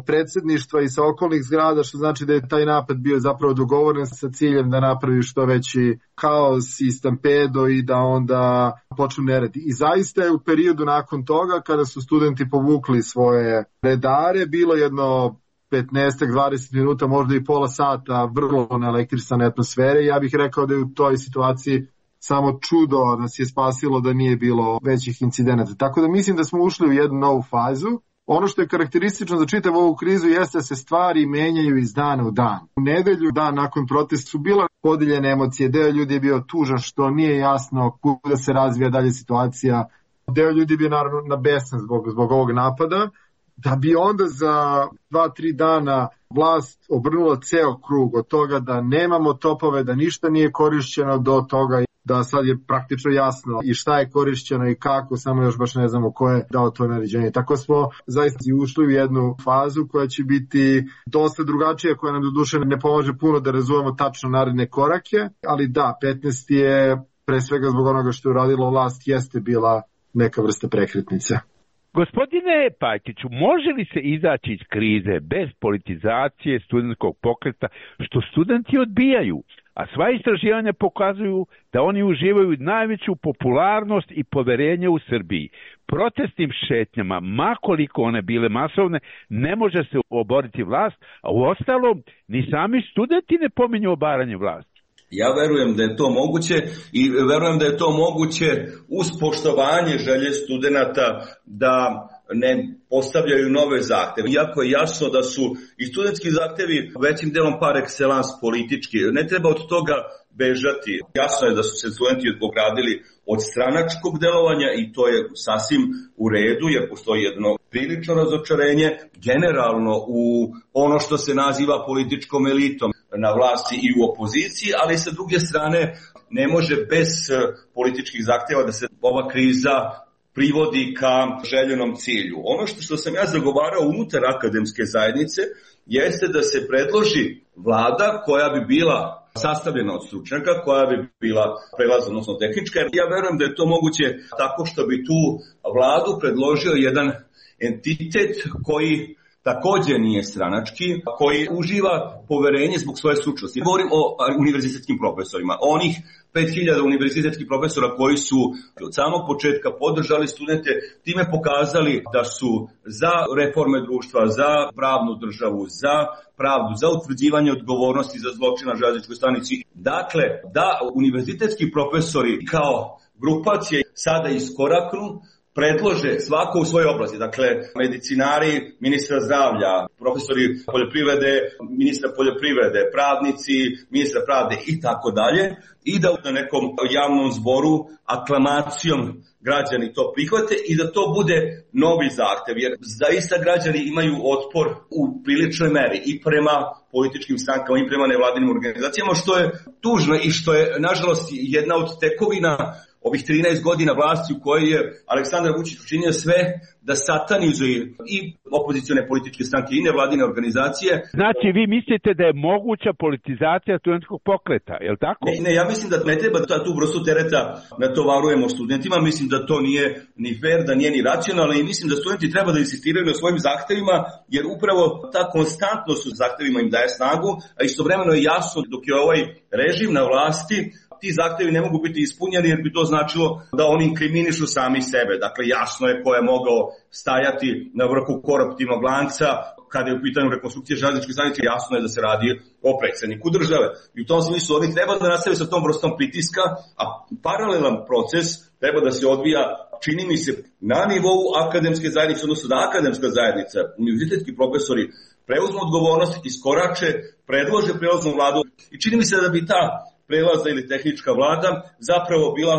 predsjedništva i sa okolnih zgrada, što znači da je taj napad bio zapravo dogovoren sa ciljem da napravi što veći kaos i stampedo i da onda počnu neredi. I zaista je u periodu nakon toga, kada su studenti povukli svoje redare, bilo jedno petnaest do dvadeset minuta, možda i pola sata vrlo naelektrisane atmosfere. Ja bih rekao da je u toj situaciji samo čudo nas je spasilo da nije bilo većih incidenata. Tako da mislim da smo ušli u jednu novu fazu. Ono što je karakteristično za čitavu ovu krizu jeste da se stvari menjaju iz dana u dan. U nedelju, dan nakon protesta, su bila podijeljene emocije. Deo ljudi je bio tužan što nije jasno kuda se razvija dalje situacija. Deo ljudi je bio naravno nabesan zbog, zbog ovog napada. Da bi onda za dva, tri dana vlast obrnula ceo krug od toga da nemamo topove, da ništa nije korišćeno, do toga da sad je praktično jasno i šta je korišćeno i kako, samo još baš ne znamo ko je dao to naređenje. Tako smo zaista ušli u jednu fazu koja će biti dosta drugačija, koja nam do duše ne pomaže puno da razumemo tačno naredne korake, ali da, petnaest je pre svega zbog onoga što je uradila vlast, jeste bila neka vrsta prekretnice. Gospodine Pajtiću, može li se izaći iz krize bez politizacije studentskog pokreta, što studenti odbijaju? A sva istraživanja pokazuju da oni uživaju najveću popularnost i poverenje u Srbiji. Protestnim šetnjama, makoliko one bile masovne, ne može se oboriti vlast, a u ostalom ni sami studenti ne pominju obaranje vlasti. Ja verujem da je to moguće i verujem da je to moguće uz poštovanje želje studenata da ne postavljaju nove zahteve. Iako je jasno da su i studentski zahtevi većim delom par excellence politički. Ne treba od toga bežati. Jasno je da su se studenti ogradili od stranačkog delovanja i to je sasvim u redu jer postoji jedno prilično razočarenje generalno u ono što se naziva političkom elitom na vlasti i u opoziciji, ali sa druge strane ne može bez političkih zahtjeva da se ova kriza privodi ka željenom cilju. Ono što, što sam ja zagovarao unutar akademske zajednice jeste da se predloži vlada koja bi bila sastavljena od stručnjaka, koja bi bila prelazna, odnosno tehnička. Ja verujem da je to moguće tako što bi tu vladu predložio jedan entitet koji također nije stranački, koji uživa poverenje zbog svoje stručnosti. Govorim o univerzitetskim profesorima, onih pet hiljada univerzitetskih profesora koji su od samog početka podržali studente, time pokazali da su za reforme društva, za pravnu državu, za pravdu, za utvrđivanje odgovornosti za zločin na železničkoj stanici. Dakle, da univerzitetski profesori kao grupacije sada iskoraknu, predlože svako u svojoj oblasti, dakle medicinari ministra zdravlja, profesori poljoprivrede, ministra poljoprivrede, pravnici, ministra pravde i tako dalje, i da na nekom javnom zboru aklamacijom građani to prihvate i da to bude novi zahtev, jer zaista građani imaju otpor u priličnoj meri i prema političkim strankama i prema nevladinim organizacijama, što je tužno i što je nažalost jedna od tekovina ovih trinaest godina vlasti u kojoj je Aleksandar Vučić učinio sve da satanizuje i opozicione političke stranke i nevladine organizacije. Znači, vi mislite da je moguća politizacija studentskog pokreta, je li tako? Ne, ne, ja mislim da ne treba da tu vrstu tereta natovarujemo studentima, mislim da to nije ni fair, da nije ni racionalno i mislim da studenti treba da insistiraju na svojim zahtevima, jer upravo ta konstantnost u zahtevima im daje snagu, a istovremeno je jasno dok je ovaj režim na vlasti, ti zahtevi ne mogu biti ispunjeni jer bi to značilo da oni inkriminišu sami sebe. Dakle, jasno je ko je mogao stajati na vrhu koruptivnog lanca kada je u pitanju rekonstrukcije železničke stanice, jasno je da se radi o predsjedniku države. I u tom smislu oni treba da nastave sa tom vrstom pritiska, a paralelan proces treba da se odvija, čini mi se, na nivou akademske zajednice, odnosno da akademska zajednica, univerzitetski profesori preuzmu odgovornost, iskorače, predlože prelaznu vladu i čini mi se da bi ta prelazna ili tehnička vlada zapravo bila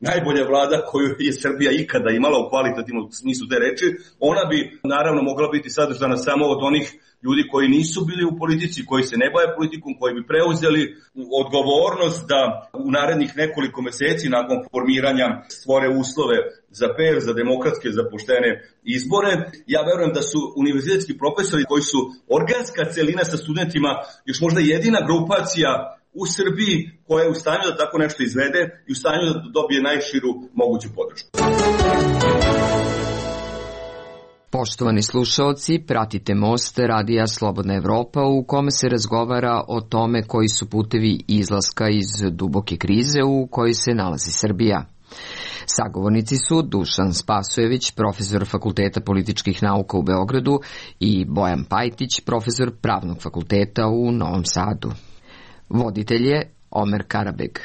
najbolja vlada koju je Srbija ikada imala u kvalitativnom smislu te reči. Ona bi naravno mogla biti sadržana samo od onih ljudi koji nisu bili u politici, koji se ne bave politikom, koji bi preuzeli odgovornost da u narednih nekoliko meseci nakon formiranja stvore uslove za fer, za demokratske, za poštene izbore. Ja verujem da su univerzitetski profesori koji su organska celina sa studentima još možda jedina grupacija u Srbiji koja je u stanju da tako nešto izvede i u stanju da dobije najširu moguću podršku. Poštovani slušaoci, pratite Most Radija Slobodna Evropa u kome se razgovara o tome koji su putevi izlaska iz duboke krize u kojoj se nalazi Srbija. Sagovornici su Dušan Spasojević, profesor Fakulteta političkih nauka u Beogradu i Bojan Pajtić, profesor Pravnog fakulteta u Novom Sadu. Voditelj je Omer Karabeg.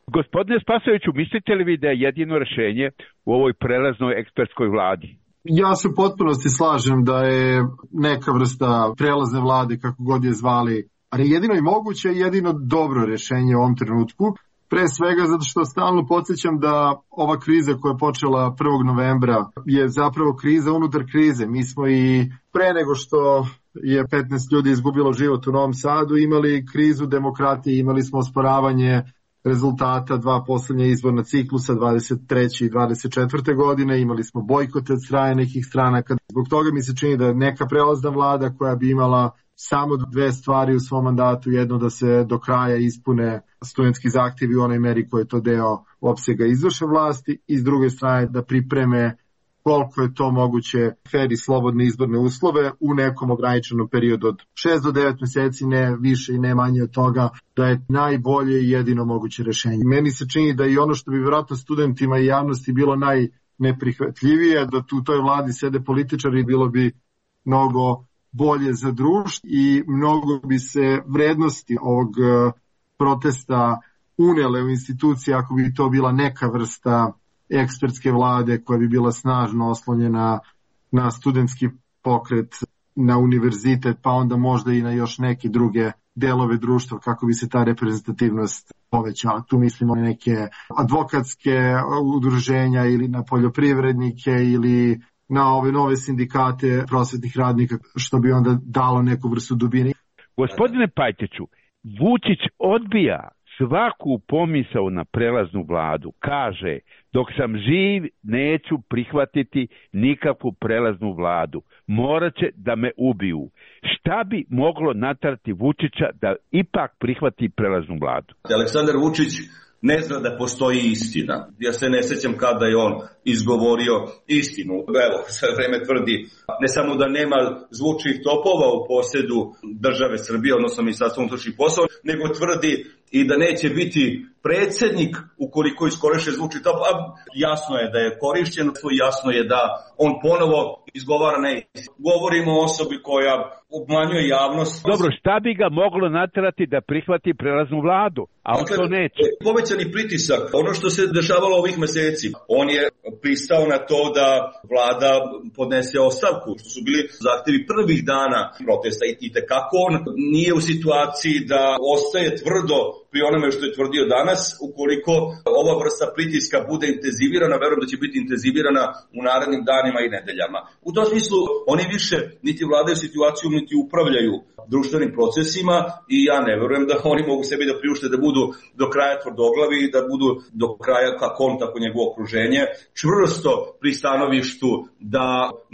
Gospodine Spasojeviću, mislite li vi da je jedino rešenje u ovoj prelaznoj ekspertskoj vladi? Ja se u potpunosti slažem da je neka vrsta prelazne vlade, kako god je zvali, ali jedino i moguće je jedino dobro rešenje u ovom trenutku. Pre svega zato što stalno podsjećam da ova kriza koja je počela prvog novembra je zapravo kriza unutar krize. Mi smo i pre nego što je petnaest ljudi izgubilo život u Novom Sadu imali krizu demokratije, imali smo osporavanje rezultata dva poslednja izborna ciklusa dvadeset treće i dvadeset četvrte godine, imali smo bojkote od strane nekih stranaka. Zbog toga mi se čini da neka prelazna vlada koja bi imala samo dve stvari u svom mandatu, jedno da se do kraja ispune studentski zahtjevi u onoj meri koji je to deo opsega izvršne vlasti i s druge strane da pripreme koliko je to moguće fer i slobodne izborne uslove u nekom ograničenom periodu od šest do devet meseci, ne više i ne manje od toga, da je najbolje i jedino moguće rešenje. Meni se čini da i ono što bi vjerojatno studentima i javnosti bilo najneprihvatljivije, da tu u toj vladi sede političari, bilo bi mnogo bolje za društvo i mnogo bi se vrednosti ovog protesta unele u institucije ako bi to bila neka vrsta ekspertske vlade koja bi bila snažno oslonjena na studentski pokret, na univerzitet, pa onda možda i na još neke druge delove društva kako bi se ta reprezentativnost povećala. Tu mislimo na neke advokatske udruženja ili na poljoprivrednike ili na ove nove sindikate prosvetnih radnika, što bi onda dalo neku vrstu dubine. Gospodine Pajtiću, Vučić odbija svaku pomisao na prelaznu vladu. Kaže, dok sam živ neću prihvatiti nikakvu prelaznu vladu. Morat će da me ubiju. Šta bi moglo naterati Vučića da ipak prihvati prelaznu vladu? Aleksandar Vučić ne zna da postoji istina. Ja se ne sećam kada je on izgovorio istinu. Evo, sve vreme tvrdi ne samo da nema zvučnih topova u posjedu države Srbije, odnosno Ministarstva unutrašnjih poslova, nego tvrdi i da neće biti predsjednik ukoliko iskoriše zvučni top. A jasno je da je korišćen, jasno je da on ponovo izgovara neistinu. Govorimo o osobi koja obmanjuje javnost. Dobro, šta bi ga moglo naterati da prihvati prelaznu vladu, a on to neće? Povećani pritisak, ono što se dešavalo ovih meseci, on je pristao na to da vlada podnese ostavku, što su bili zahtevi prvih dana protesta i tekako on nije u situaciji da ostaje tvrdo pri onome što je tvrdio danas. Ukoliko ova vrsta pritiska bude intenzivirana, verujem da će biti intenzivirana u narednim danima i nedeljama. U tom smislu oni više niti vladaju situaciju, niti upravljaju društvenim procesima i ja ne verujem da oni mogu sebi da priušte da budu do kraja tvrdoglavi i da budu do kraja, kako on, tako njegovo okruženje, čvrsto pri stanovištu da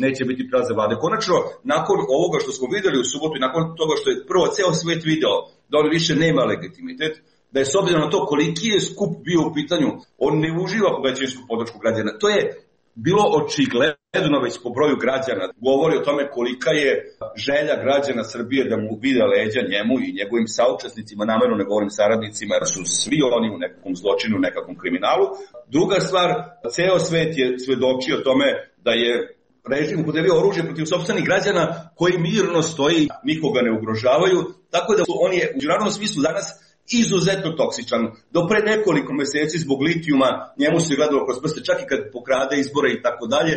neće biti prelazne vlade. Konačno, nakon ovoga što smo videli u subotu i nakon toga što je prvo ceo svet video da on više nema legitimitet, da je s obzirom na to koliki je skup bio u pitanju, on ne uživa po većinsku podršku građana. To je bilo očigledno već po broju građana. Govori o tome kolika je želja građana Srbije da mu vide leđa njemu i njegovim saučesnicima, namerno ne govorim saradnicima, jer su svi oni u nekakvom zločinu, u nekakvom kriminalu. Druga stvar, ceo svet je svedočio tome da je režim upotrebio oružje protiv sopstvenih građana koji mirno stoji, nikoga ne ugrožavaju, tako da on je u međunarodnom smislu danas izuzetno toksičan. Do pre nekoliko meseci zbog litijuma njemu se gledalo kroz prste, čak i kad pokrade izbore i tako dalje,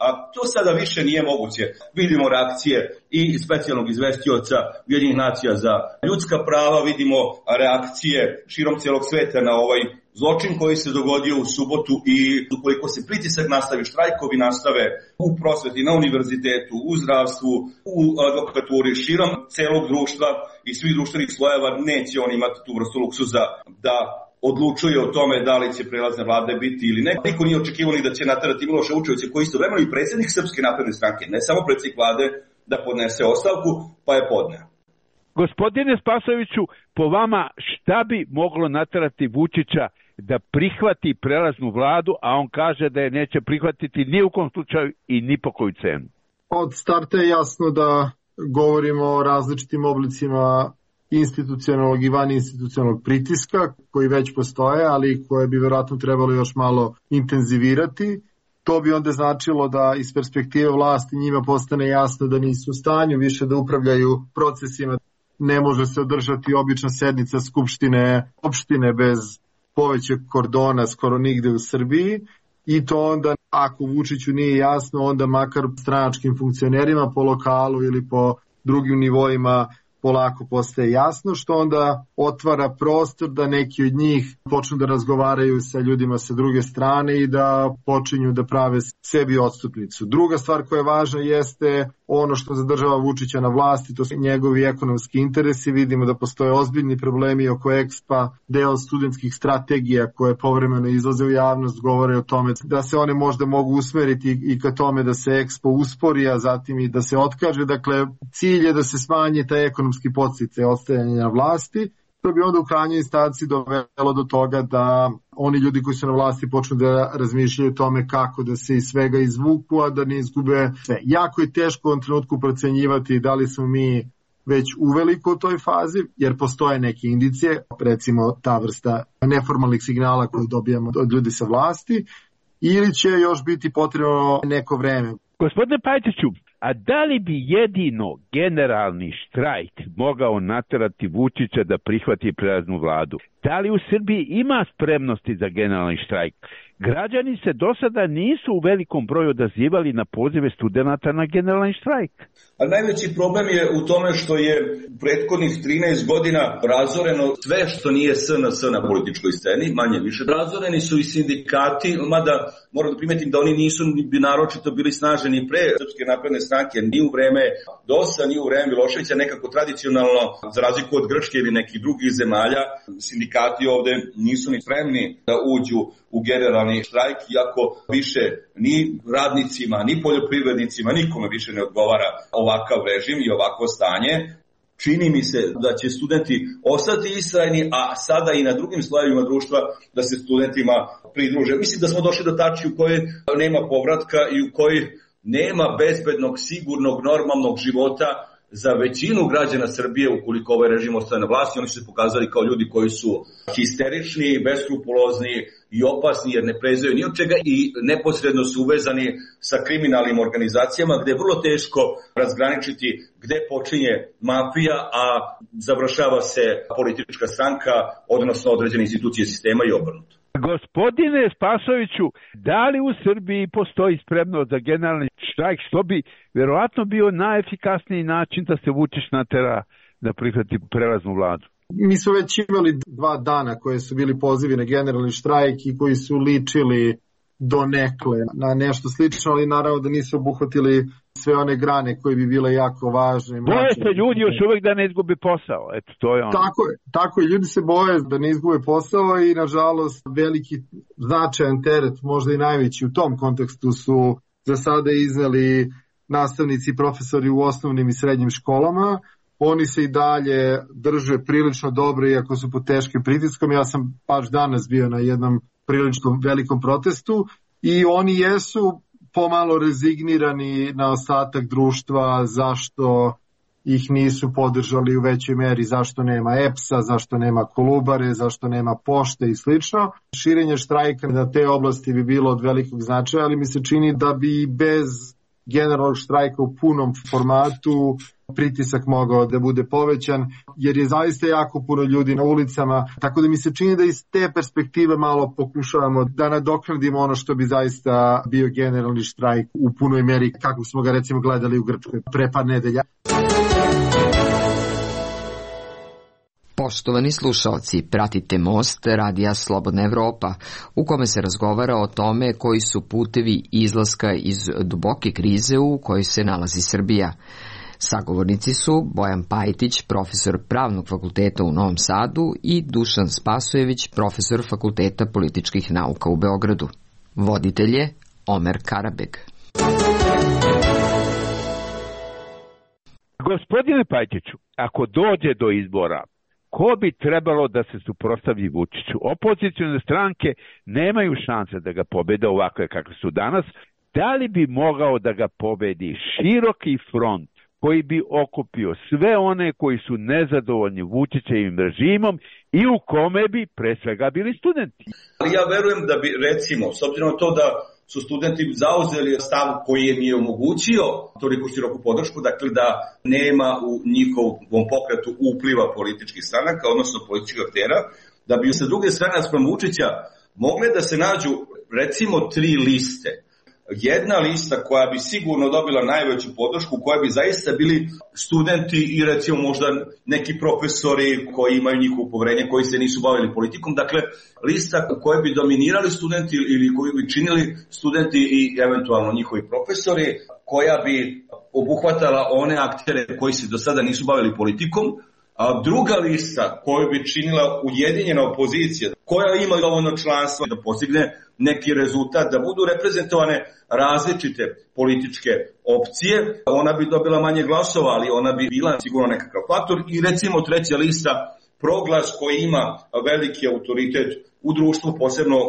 a to sada više nije moguće. Vidimo reakcije i specijalnog izvestioca Ujedinjenih nacija za ljudska prava, vidimo reakcije širom celog sveta na ovaj zločin koji se dogodio u subotu i ukoliko se pritisak nastavi, štrajkovi nastave u prosveti, na univerzitetu, u zdravstvu, u advokaturi, širom celog društva i svih društvenih slojeva, neće on imati tu vrstu luksuza da odlučuje o tome da li će prelazne vlade biti ili ne. Niko nije očekivao ni da će naterati Miloša Vučevića, koji istovremeno i predsjednik Srpske napredne stranke, ne samo predsjednik vlade, da podnese ostavku, pa je podneo. Gospodine Spasojeviću, po vama šta bi moglo naterati Vučića da prihvati prelaznu vladu, a on kaže da je neće prihvatiti ni u kom slučaju i ni po koju cenu? Od starta je jasno da govorimo o različitim oblicima institucionalnog i van institucionalnog pritiska koji već postoje, ali koje bi verovatno trebalo još malo intenzivirati. To bi onda značilo da iz perspektive vlasti njima postane jasno da nisu u stanju više da upravljaju procesima. Ne može se održati obična sednica skupštine opštine bez povećeg kordona skoro nigde u Srbiji i to onda, ako Vučiću nije jasno, onda makar stranačkim funkcionerima po lokalu ili po drugim nivoima polako postaje jasno, što onda otvara prostor da neki od njih počnu da razgovaraju sa ljudima sa druge strane i da počinju da prave sebi odstupnicu. Druga stvar koja je važna jeste ono što zadržava Vučića na vlasti, to su njegovi ekonomski interesi. Vidimo da postoje ozbiljni problemi oko Expa, deo studentskih strategija koje povremeno izlaze u javnost, govore o tome da se one možda mogu usmeriti i ka tome da se Expo uspori, a zatim i da se otkaže. Dakle, cilj je da se smanji taj ekonomski podsticaj ostajanja na vlasti. To bi onda u krajnjoj instanci dovelo do toga da oni ljudi koji su na vlasti počnu da razmišljaju o tome kako da se iz svega izvuku, a da ne izgube sve. Jako je teško u ovom trenutku procenjivati da li smo mi već uveliko u toj fazi, jer postoje neke indicije, recimo ta vrsta neformalnih signala koju dobijamo od ljudi sa vlasti, ili će još biti potrebno neko vreme. Gospodine Pajtiću, a da li bi jedino generalni štrajk mogao naterati Vučića da prihvati prelaznu vladu? Da li u Srbiji ima spremnosti za generalni štrajk? Građani se do sada nisu u velikom broju odazivali na pozive studenata na generalni štrajk. A najveći problem je u tome što je u prethodnih trinaest godina razoreno sve što nije S N S na političkoj sceni, manje više. Razoreni su i sindikati, mada moram da primetim da oni nisu bi naročito bili snaženi pre Srpske napredne stranke, ni u vreme D O S-a, ni u vreme Miloševića, nekako tradicionalno, za razliku od Grčke ili nekih drugih zemalja, sindikati ovde nisu ni spremni da uđu u generalni štrajk, iako više ni radnicima, ni poljoprivrednicima, nikome više ne odgovara ovakav režim i ovakvo stanje. Čini mi se da će studenti ostati istrajni, a sada i na drugim slojevima društva da se studentima pridruže. Mislim da smo došli do tačke u kojoj nema povratka i u kojoj nema bezbednog, sigurnog, normalnog života za većinu građana Srbije ukoliko ovaj režim ostaje na vlasti. Oni su se pokazali kao ljudi koji su histerični, beskrupulozni i opasni jer ne prezaju ni od čega i neposredno su uvezani sa kriminalnim organizacijama gde je vrlo teško razgraničiti gde počinje mafija, a završava se politička stranka, odnosno određene institucije sistema i obrnuto. Gospodine Spasojeviću, da li u Srbiji postoji spremnost za generalni štrajk, što bi verovatno bio najefikasniji način da se Vučić natera da prihvati prelaznu vladu? Mi smo već imali dva dana koje su bili pozivi na generalni štrajk i koji su ličili donekle na nešto slično, ali naravno da nisu obuhvatili sve one grane koje bi bile jako važne. Boje se ljudi još uvijek da ne izgubi posao. Eto, to je ono. Tako je, tako je. Ljudi se boje da ne izgube posao i nažalost veliki značajan teret, možda i najveći u tom kontekstu su za sada izneli nastavnici i profesori u osnovnim i srednjim školama. Oni se i dalje drže prilično dobro iako su pod teškim pritiskom. Ja sam baš danas bio na jednom prilično velikom protestu i oni jesu pomalo rezignirani na ostatak društva zašto ih nisu podržali u većoj meri, zašto nema E P S-a, zašto nema Kolubare, zašto nema pošte i slično. Širenje štrajka na te oblasti bi bilo od velikog značaja, ali mi se čini da bi bez generalnog štrajka u punom formatu pritisak mogao da bude povećan, jer je zaista jako puno ljudi na ulicama, tako da mi se čini da iz te perspektive malo pokušavamo da nadoknadimo ono što bi zaista bio generalni štrajk u punoj meri, kako smo ga recimo gledali u Grčkoj pre par nedelja. Poštovani slušalci, pratite Most Radija Slobodna Evropa, u kome se razgovara o tome koji su putevi izlaska iz duboke krize u kojoj se nalazi Srbija. Sagovornici su Bojan Pajtić, profesor Pravnog fakulteta u Novom Sadu i Dušan Spasojević, profesor Fakulteta političkih nauka u Beogradu. Voditelj je Omer Karabeg. Gospodine Pajtiću, ako dođe do izbora, ko bi trebalo da se suprotstavi Vučiću? Opozicione stranke nemaju šanse da ga pobede ovakve kakve su danas. Da li bi mogao da ga pobedi široki front koji bi okupio sve one koji su nezadovoljni Vučićevim režimom i u kome bi pre svega bili studenti? Ali ja verujem da bi, recimo, s obzirom na to da su studenti zauzeli stav koji je mi omogućio toliko široku podršku, dakle da nema u njihovom pokretu upliva političkih stranaka, odnosno političkih aktera, da bi sa druge strane naspram Vučića mogle da se nađu recimo tri liste. Jedna lista koja bi sigurno dobila najveću podršku, koja bi zaista bili studenti i recimo možda neki profesori koji imaju njihovo poverenje, koji se nisu bavili politikom. Dakle, lista koja bi dominirali studenti ili koji bi činili studenti i eventualno njihovi profesori, koja bi obuhvatala one aktere koji se do sada nisu bavili politikom. A druga lista koju bi činila ujedinjena opozicija, koja ima dovoljno članstva da postigne neki rezultat, da budu reprezentovane različite političke opcije, ona bi dobila manje glasova, ali ona bi bila sigurno nekakav faktor. I recimo treća lista, Proglas, koji ima veliki autoritet u društvu, posebno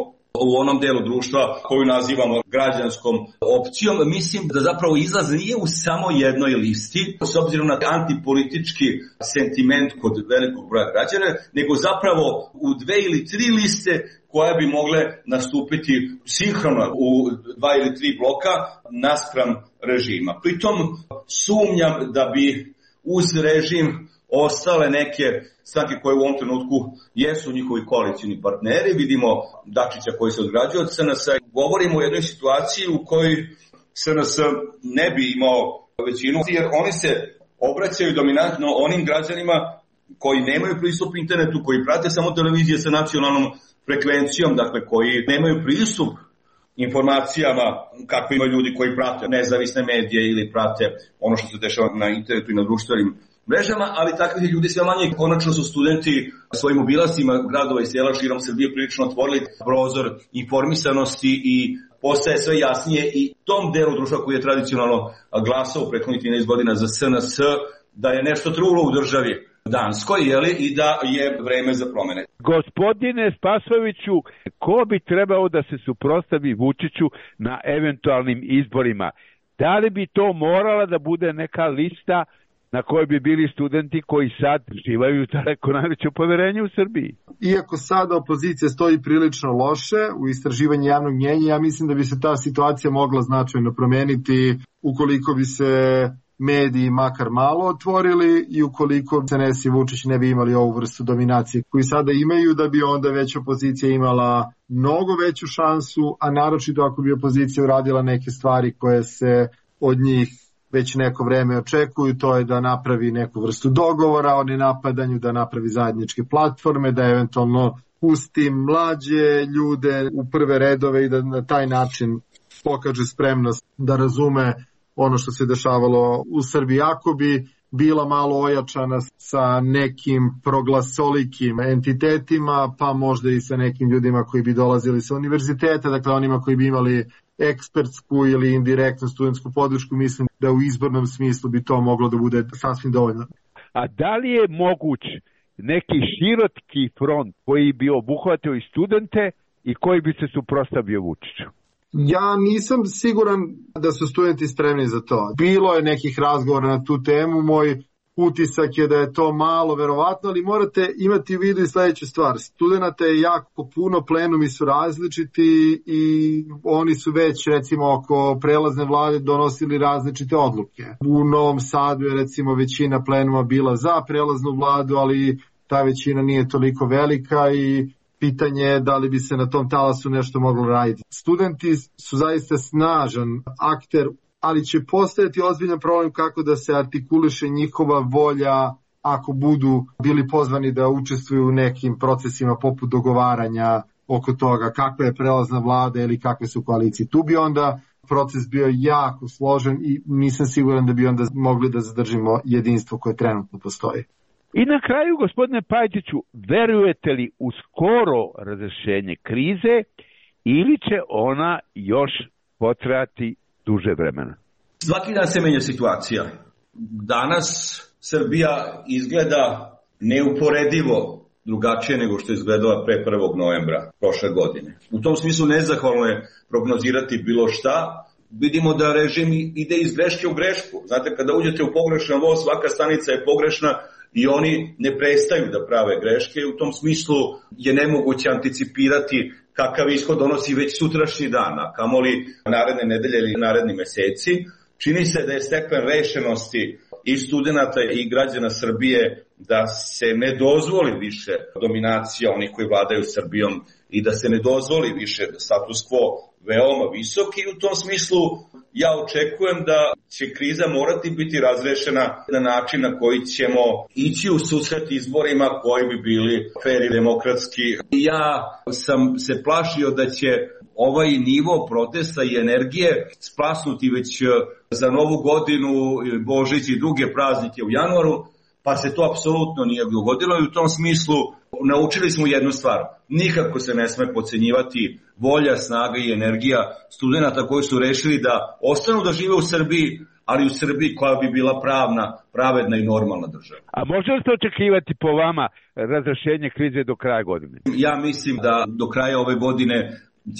u onom delu društva koju nazivamo građanskom opcijom. Mislim da zapravo izlaz nije u samo jednoj listi, s obzirom na antipolitički sentiment kod velikog broja građana, nego zapravo u dve ili tri liste koje bi mogle nastupiti sinhrono u dva ili tri bloka naspram režima. Pritom sumnjam da bi uz režim ostale neke stranke koje u ovom trenutku jesu njihovi koalicijni partneri. Vidimo Dačića koji se odgrađuje od S N S-a. Govorimo o jednoj situaciji u kojoj S N S ne bi imao većinu, jer oni se obraćaju dominantno onim građanima koji nemaju pristup internetu, koji prate samo televizije sa nacionalnom frekvencijom, dakle koji nemaju pristup informacijama kako imaju ljudi koji prate nezavisne medije ili prate ono što se dešava na internetu i na društvenim mrežama, ali takvih ljudi sve manje. Konačno su studenti svojim obilascima gradova i sela širom Srbije prilično otvorili prozor informisanosti i postaje sve jasnije i tom delu društva koji je tradicionalno glasao u prethodnih trinaest godina za S N S da je nešto trulo u državi Danskoj, jeli, i da je vreme za promene. Gospodine Spasojeviću, ko bi trebao da se suprotstavi Vučiću na eventualnim izborima? Da li bi to morala da bude neka lista na kojoj bi bili studenti koji sad živaju daleko najveće poverenje u Srbiji? Iako sada opozicija stoji prilično loše u istraživanju javnog mnjenja, ja mislim da bi se ta situacija mogla značajno promeniti ukoliko bi se mediji makar malo otvorili i ukoliko S N S i Vučić ne bi imali ovu vrstu dominacije koju sada imaju, da bi onda već opozicija imala mnogo veću šansu, a naročito ako bi opozicija uradila neke stvari koje se od njih već neko vreme očekuju, to je da napravi neku vrstu dogovora o nenapadanju, da napravi zajedničke platforme, da eventualno pusti mlađe ljude u prve redove i da na taj način pokaže spremnost da razume ono što se dešavalo u Srbiji. Ako bi bila malo ojačana sa nekim proglasolikim entitetima, pa možda i sa nekim ljudima koji bi dolazili sa univerziteta, dakle onima koji bi imali ekspertsku ili indirektnu studentsku podršku, mislim da u izbornom smislu bi to moglo da bude sasvim dovoljno. A da li je moguć neki široký front koji bi obuhvatio i studente i koji bi se suprotstavio Vučiću? Ja nisam siguran da su studenti spremni za to. Bilo je nekih razgovora na tu temu, moj utisak je da je to malo verovatno, ali morate imati u vidu i sledeću stvar. Studenata je jako puno, plenumi su različiti i oni su već recimo oko prelazne vlade donosili različite odluke. U Novom Sadu je recimo većina plenuma bila za prelaznu vladu, ali ta većina nije toliko velika i pitanje je da li bi se na tom talasu nešto moglo raditi. Studenti su zaista snažan akter, ali će postojati ozbiljan problem kako da se artikuliše njihova volja ako budu bili pozvani da učestvuju u nekim procesima poput dogovaranja oko toga kakva je prelazna vlada ili kakve su koalicije. Tu bi onda proces bio jako složen i nisam siguran da bi onda mogli da zadržimo jedinstvo koje trenutno postoji. I na kraju, gospodine Pajtiću, verujete li u skoro razrešenje krize ili će ona još potrajati duže vremena? Svaki dan se menja situacija. Danas Srbija izgleda neuporedivo drugačije nego što je izgledala pre prvog novembra prošle godine. U tom smislu nezahvalno je prognozirati bilo šta. Vidimo da režim ide iz greške u grešku. Znate, kada uđete u pogrešan voz, svaka stanica je pogrešna i oni ne prestaju da prave greške. U tom smislu je nemoguće anticipirati kakav ishod donosi već sutrašnji dan, a kamoli naredne nedelje ili naredni meseci. Čini se da je stepen rešenosti i studenta i građana Srbije da se ne dozvoli više dominacija onih koji vladaju Srbijom i da se ne dozvoli više status quo veoma visok i u tom smislu ja očekujem da će kriza morati biti razrešena na način na koji ćemo ići u susret izborima koji bi bili fer i demokratski. Ja sam se plašio da će ovaj nivo protesta i energije splasnuti već za Novu godinu, Božić i druge praznike u januaru, pa se to apsolutno nije dogodilo i u tom smislu naučili smo jednu stvar. Nikako se ne sme podcenjivati volja, snaga i energija studenta koji su rešili da ostanu da žive u Srbiji, ali u Srbiji koja bi bila pravna, pravedna i normalna država. A može li se očekivati po vama razrešenje krize do kraja godine? Ja mislim da do kraja ove godine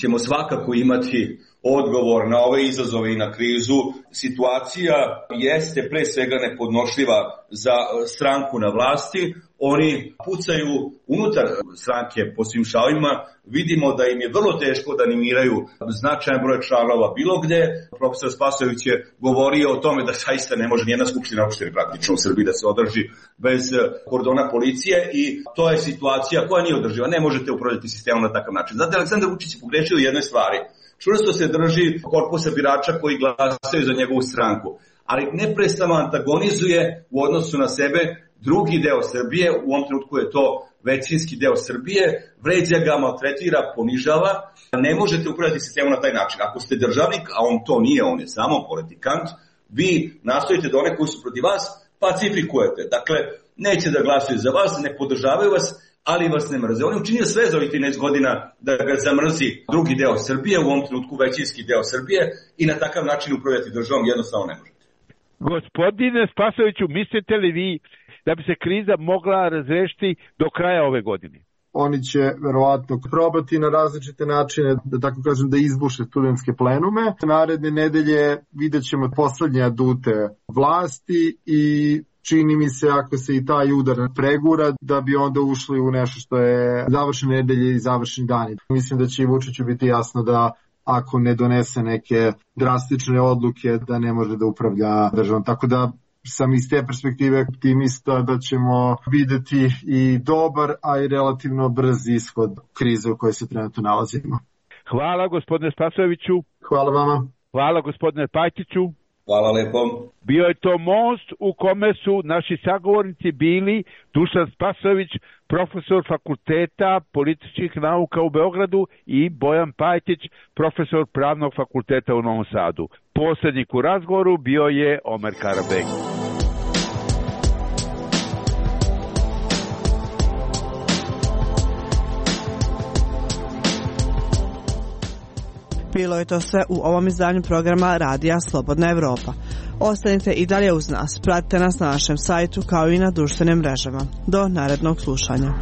ćemo svakako imati odgovor na ove izazove i na krizu. Situacija jeste pre svega nepodnošljiva za stranku na vlasti. Oni pucaju unutar stranke po svim šavima. Vidimo da im je vrlo teško da animiraju značajan broj članova bilo gde. Profesor Spasojević je govorio o tome da zaista ne može nijedna skupština opštine praktično u Srbiji da se održi bez kordona policije i to je situacija koja nije održiva. Ne možete upravljati sistemom na takav način. Znate, Aleksandar Vučić je pogrešio u jednoj stvari. Čvrsto se drži korpusa birača koji glasaju za njegovu stranku, ali neprestano antagonizuje u odnosu na sebe drugi deo Srbije, u ovom trenutku je to većinski deo Srbije, vređa ga, maltretira, ponižava. Ne možete upravljati sistemom na taj način. Ako ste državnik, a on to nije, on je samo politikant, vi nastojite da one koji su protiv vas pacifikujete. Dakle, neće da glasuju za vas, ne podržavaju vas, ali vas ne mrze. On je učinio sve za ovih trinaest godina da ga zamrzi drugi deo Srbije, u ovom trenutku većinski deo Srbije i na takav način upravljati državom jednostavno ne možete. Gospodine Spasojeviću, mislite li vi da bi se kriza mogla razrešiti do kraja ove godine? Oni će verovatno probati na različite načine, da tako kažem, da izbuše studentske plenume. Naredne nedelje vidjet ćemo poslednje adute vlasti i čini mi se ako se i taj udar pregura da bi onda ušli u nešto što je završene nedelje i završeni dani. Mislim da će i Vučiću biti jasno da ako ne donese neke drastične odluke da ne može da upravlja državom. Tako da sam iz te perspektive optimista da ćemo videti i dobar, a i relativno brz ishod krize u kojoj se trenutno nalazimo. Hvala gospodine Spasojeviću. Hvala vama. Hvala gospodine Pajtiću. Hvala lepo. Bio je to most u kome su naši sagovornici bili Dušan Spasojević, profesor fakulteta političkih nauka u Beogradu i Bojan Pajtić, profesor pravnog fakulteta u Novom Sadu. Poslednjik u razgovoru bio je Omer Karabek. Bilo je to sve u ovom izdanju programa Radija Slobodna Evropa. Ostanite i dalje uz nas, pratite nas na našem sajtu kao i na društvenim mrežama. Do narednog slušanja.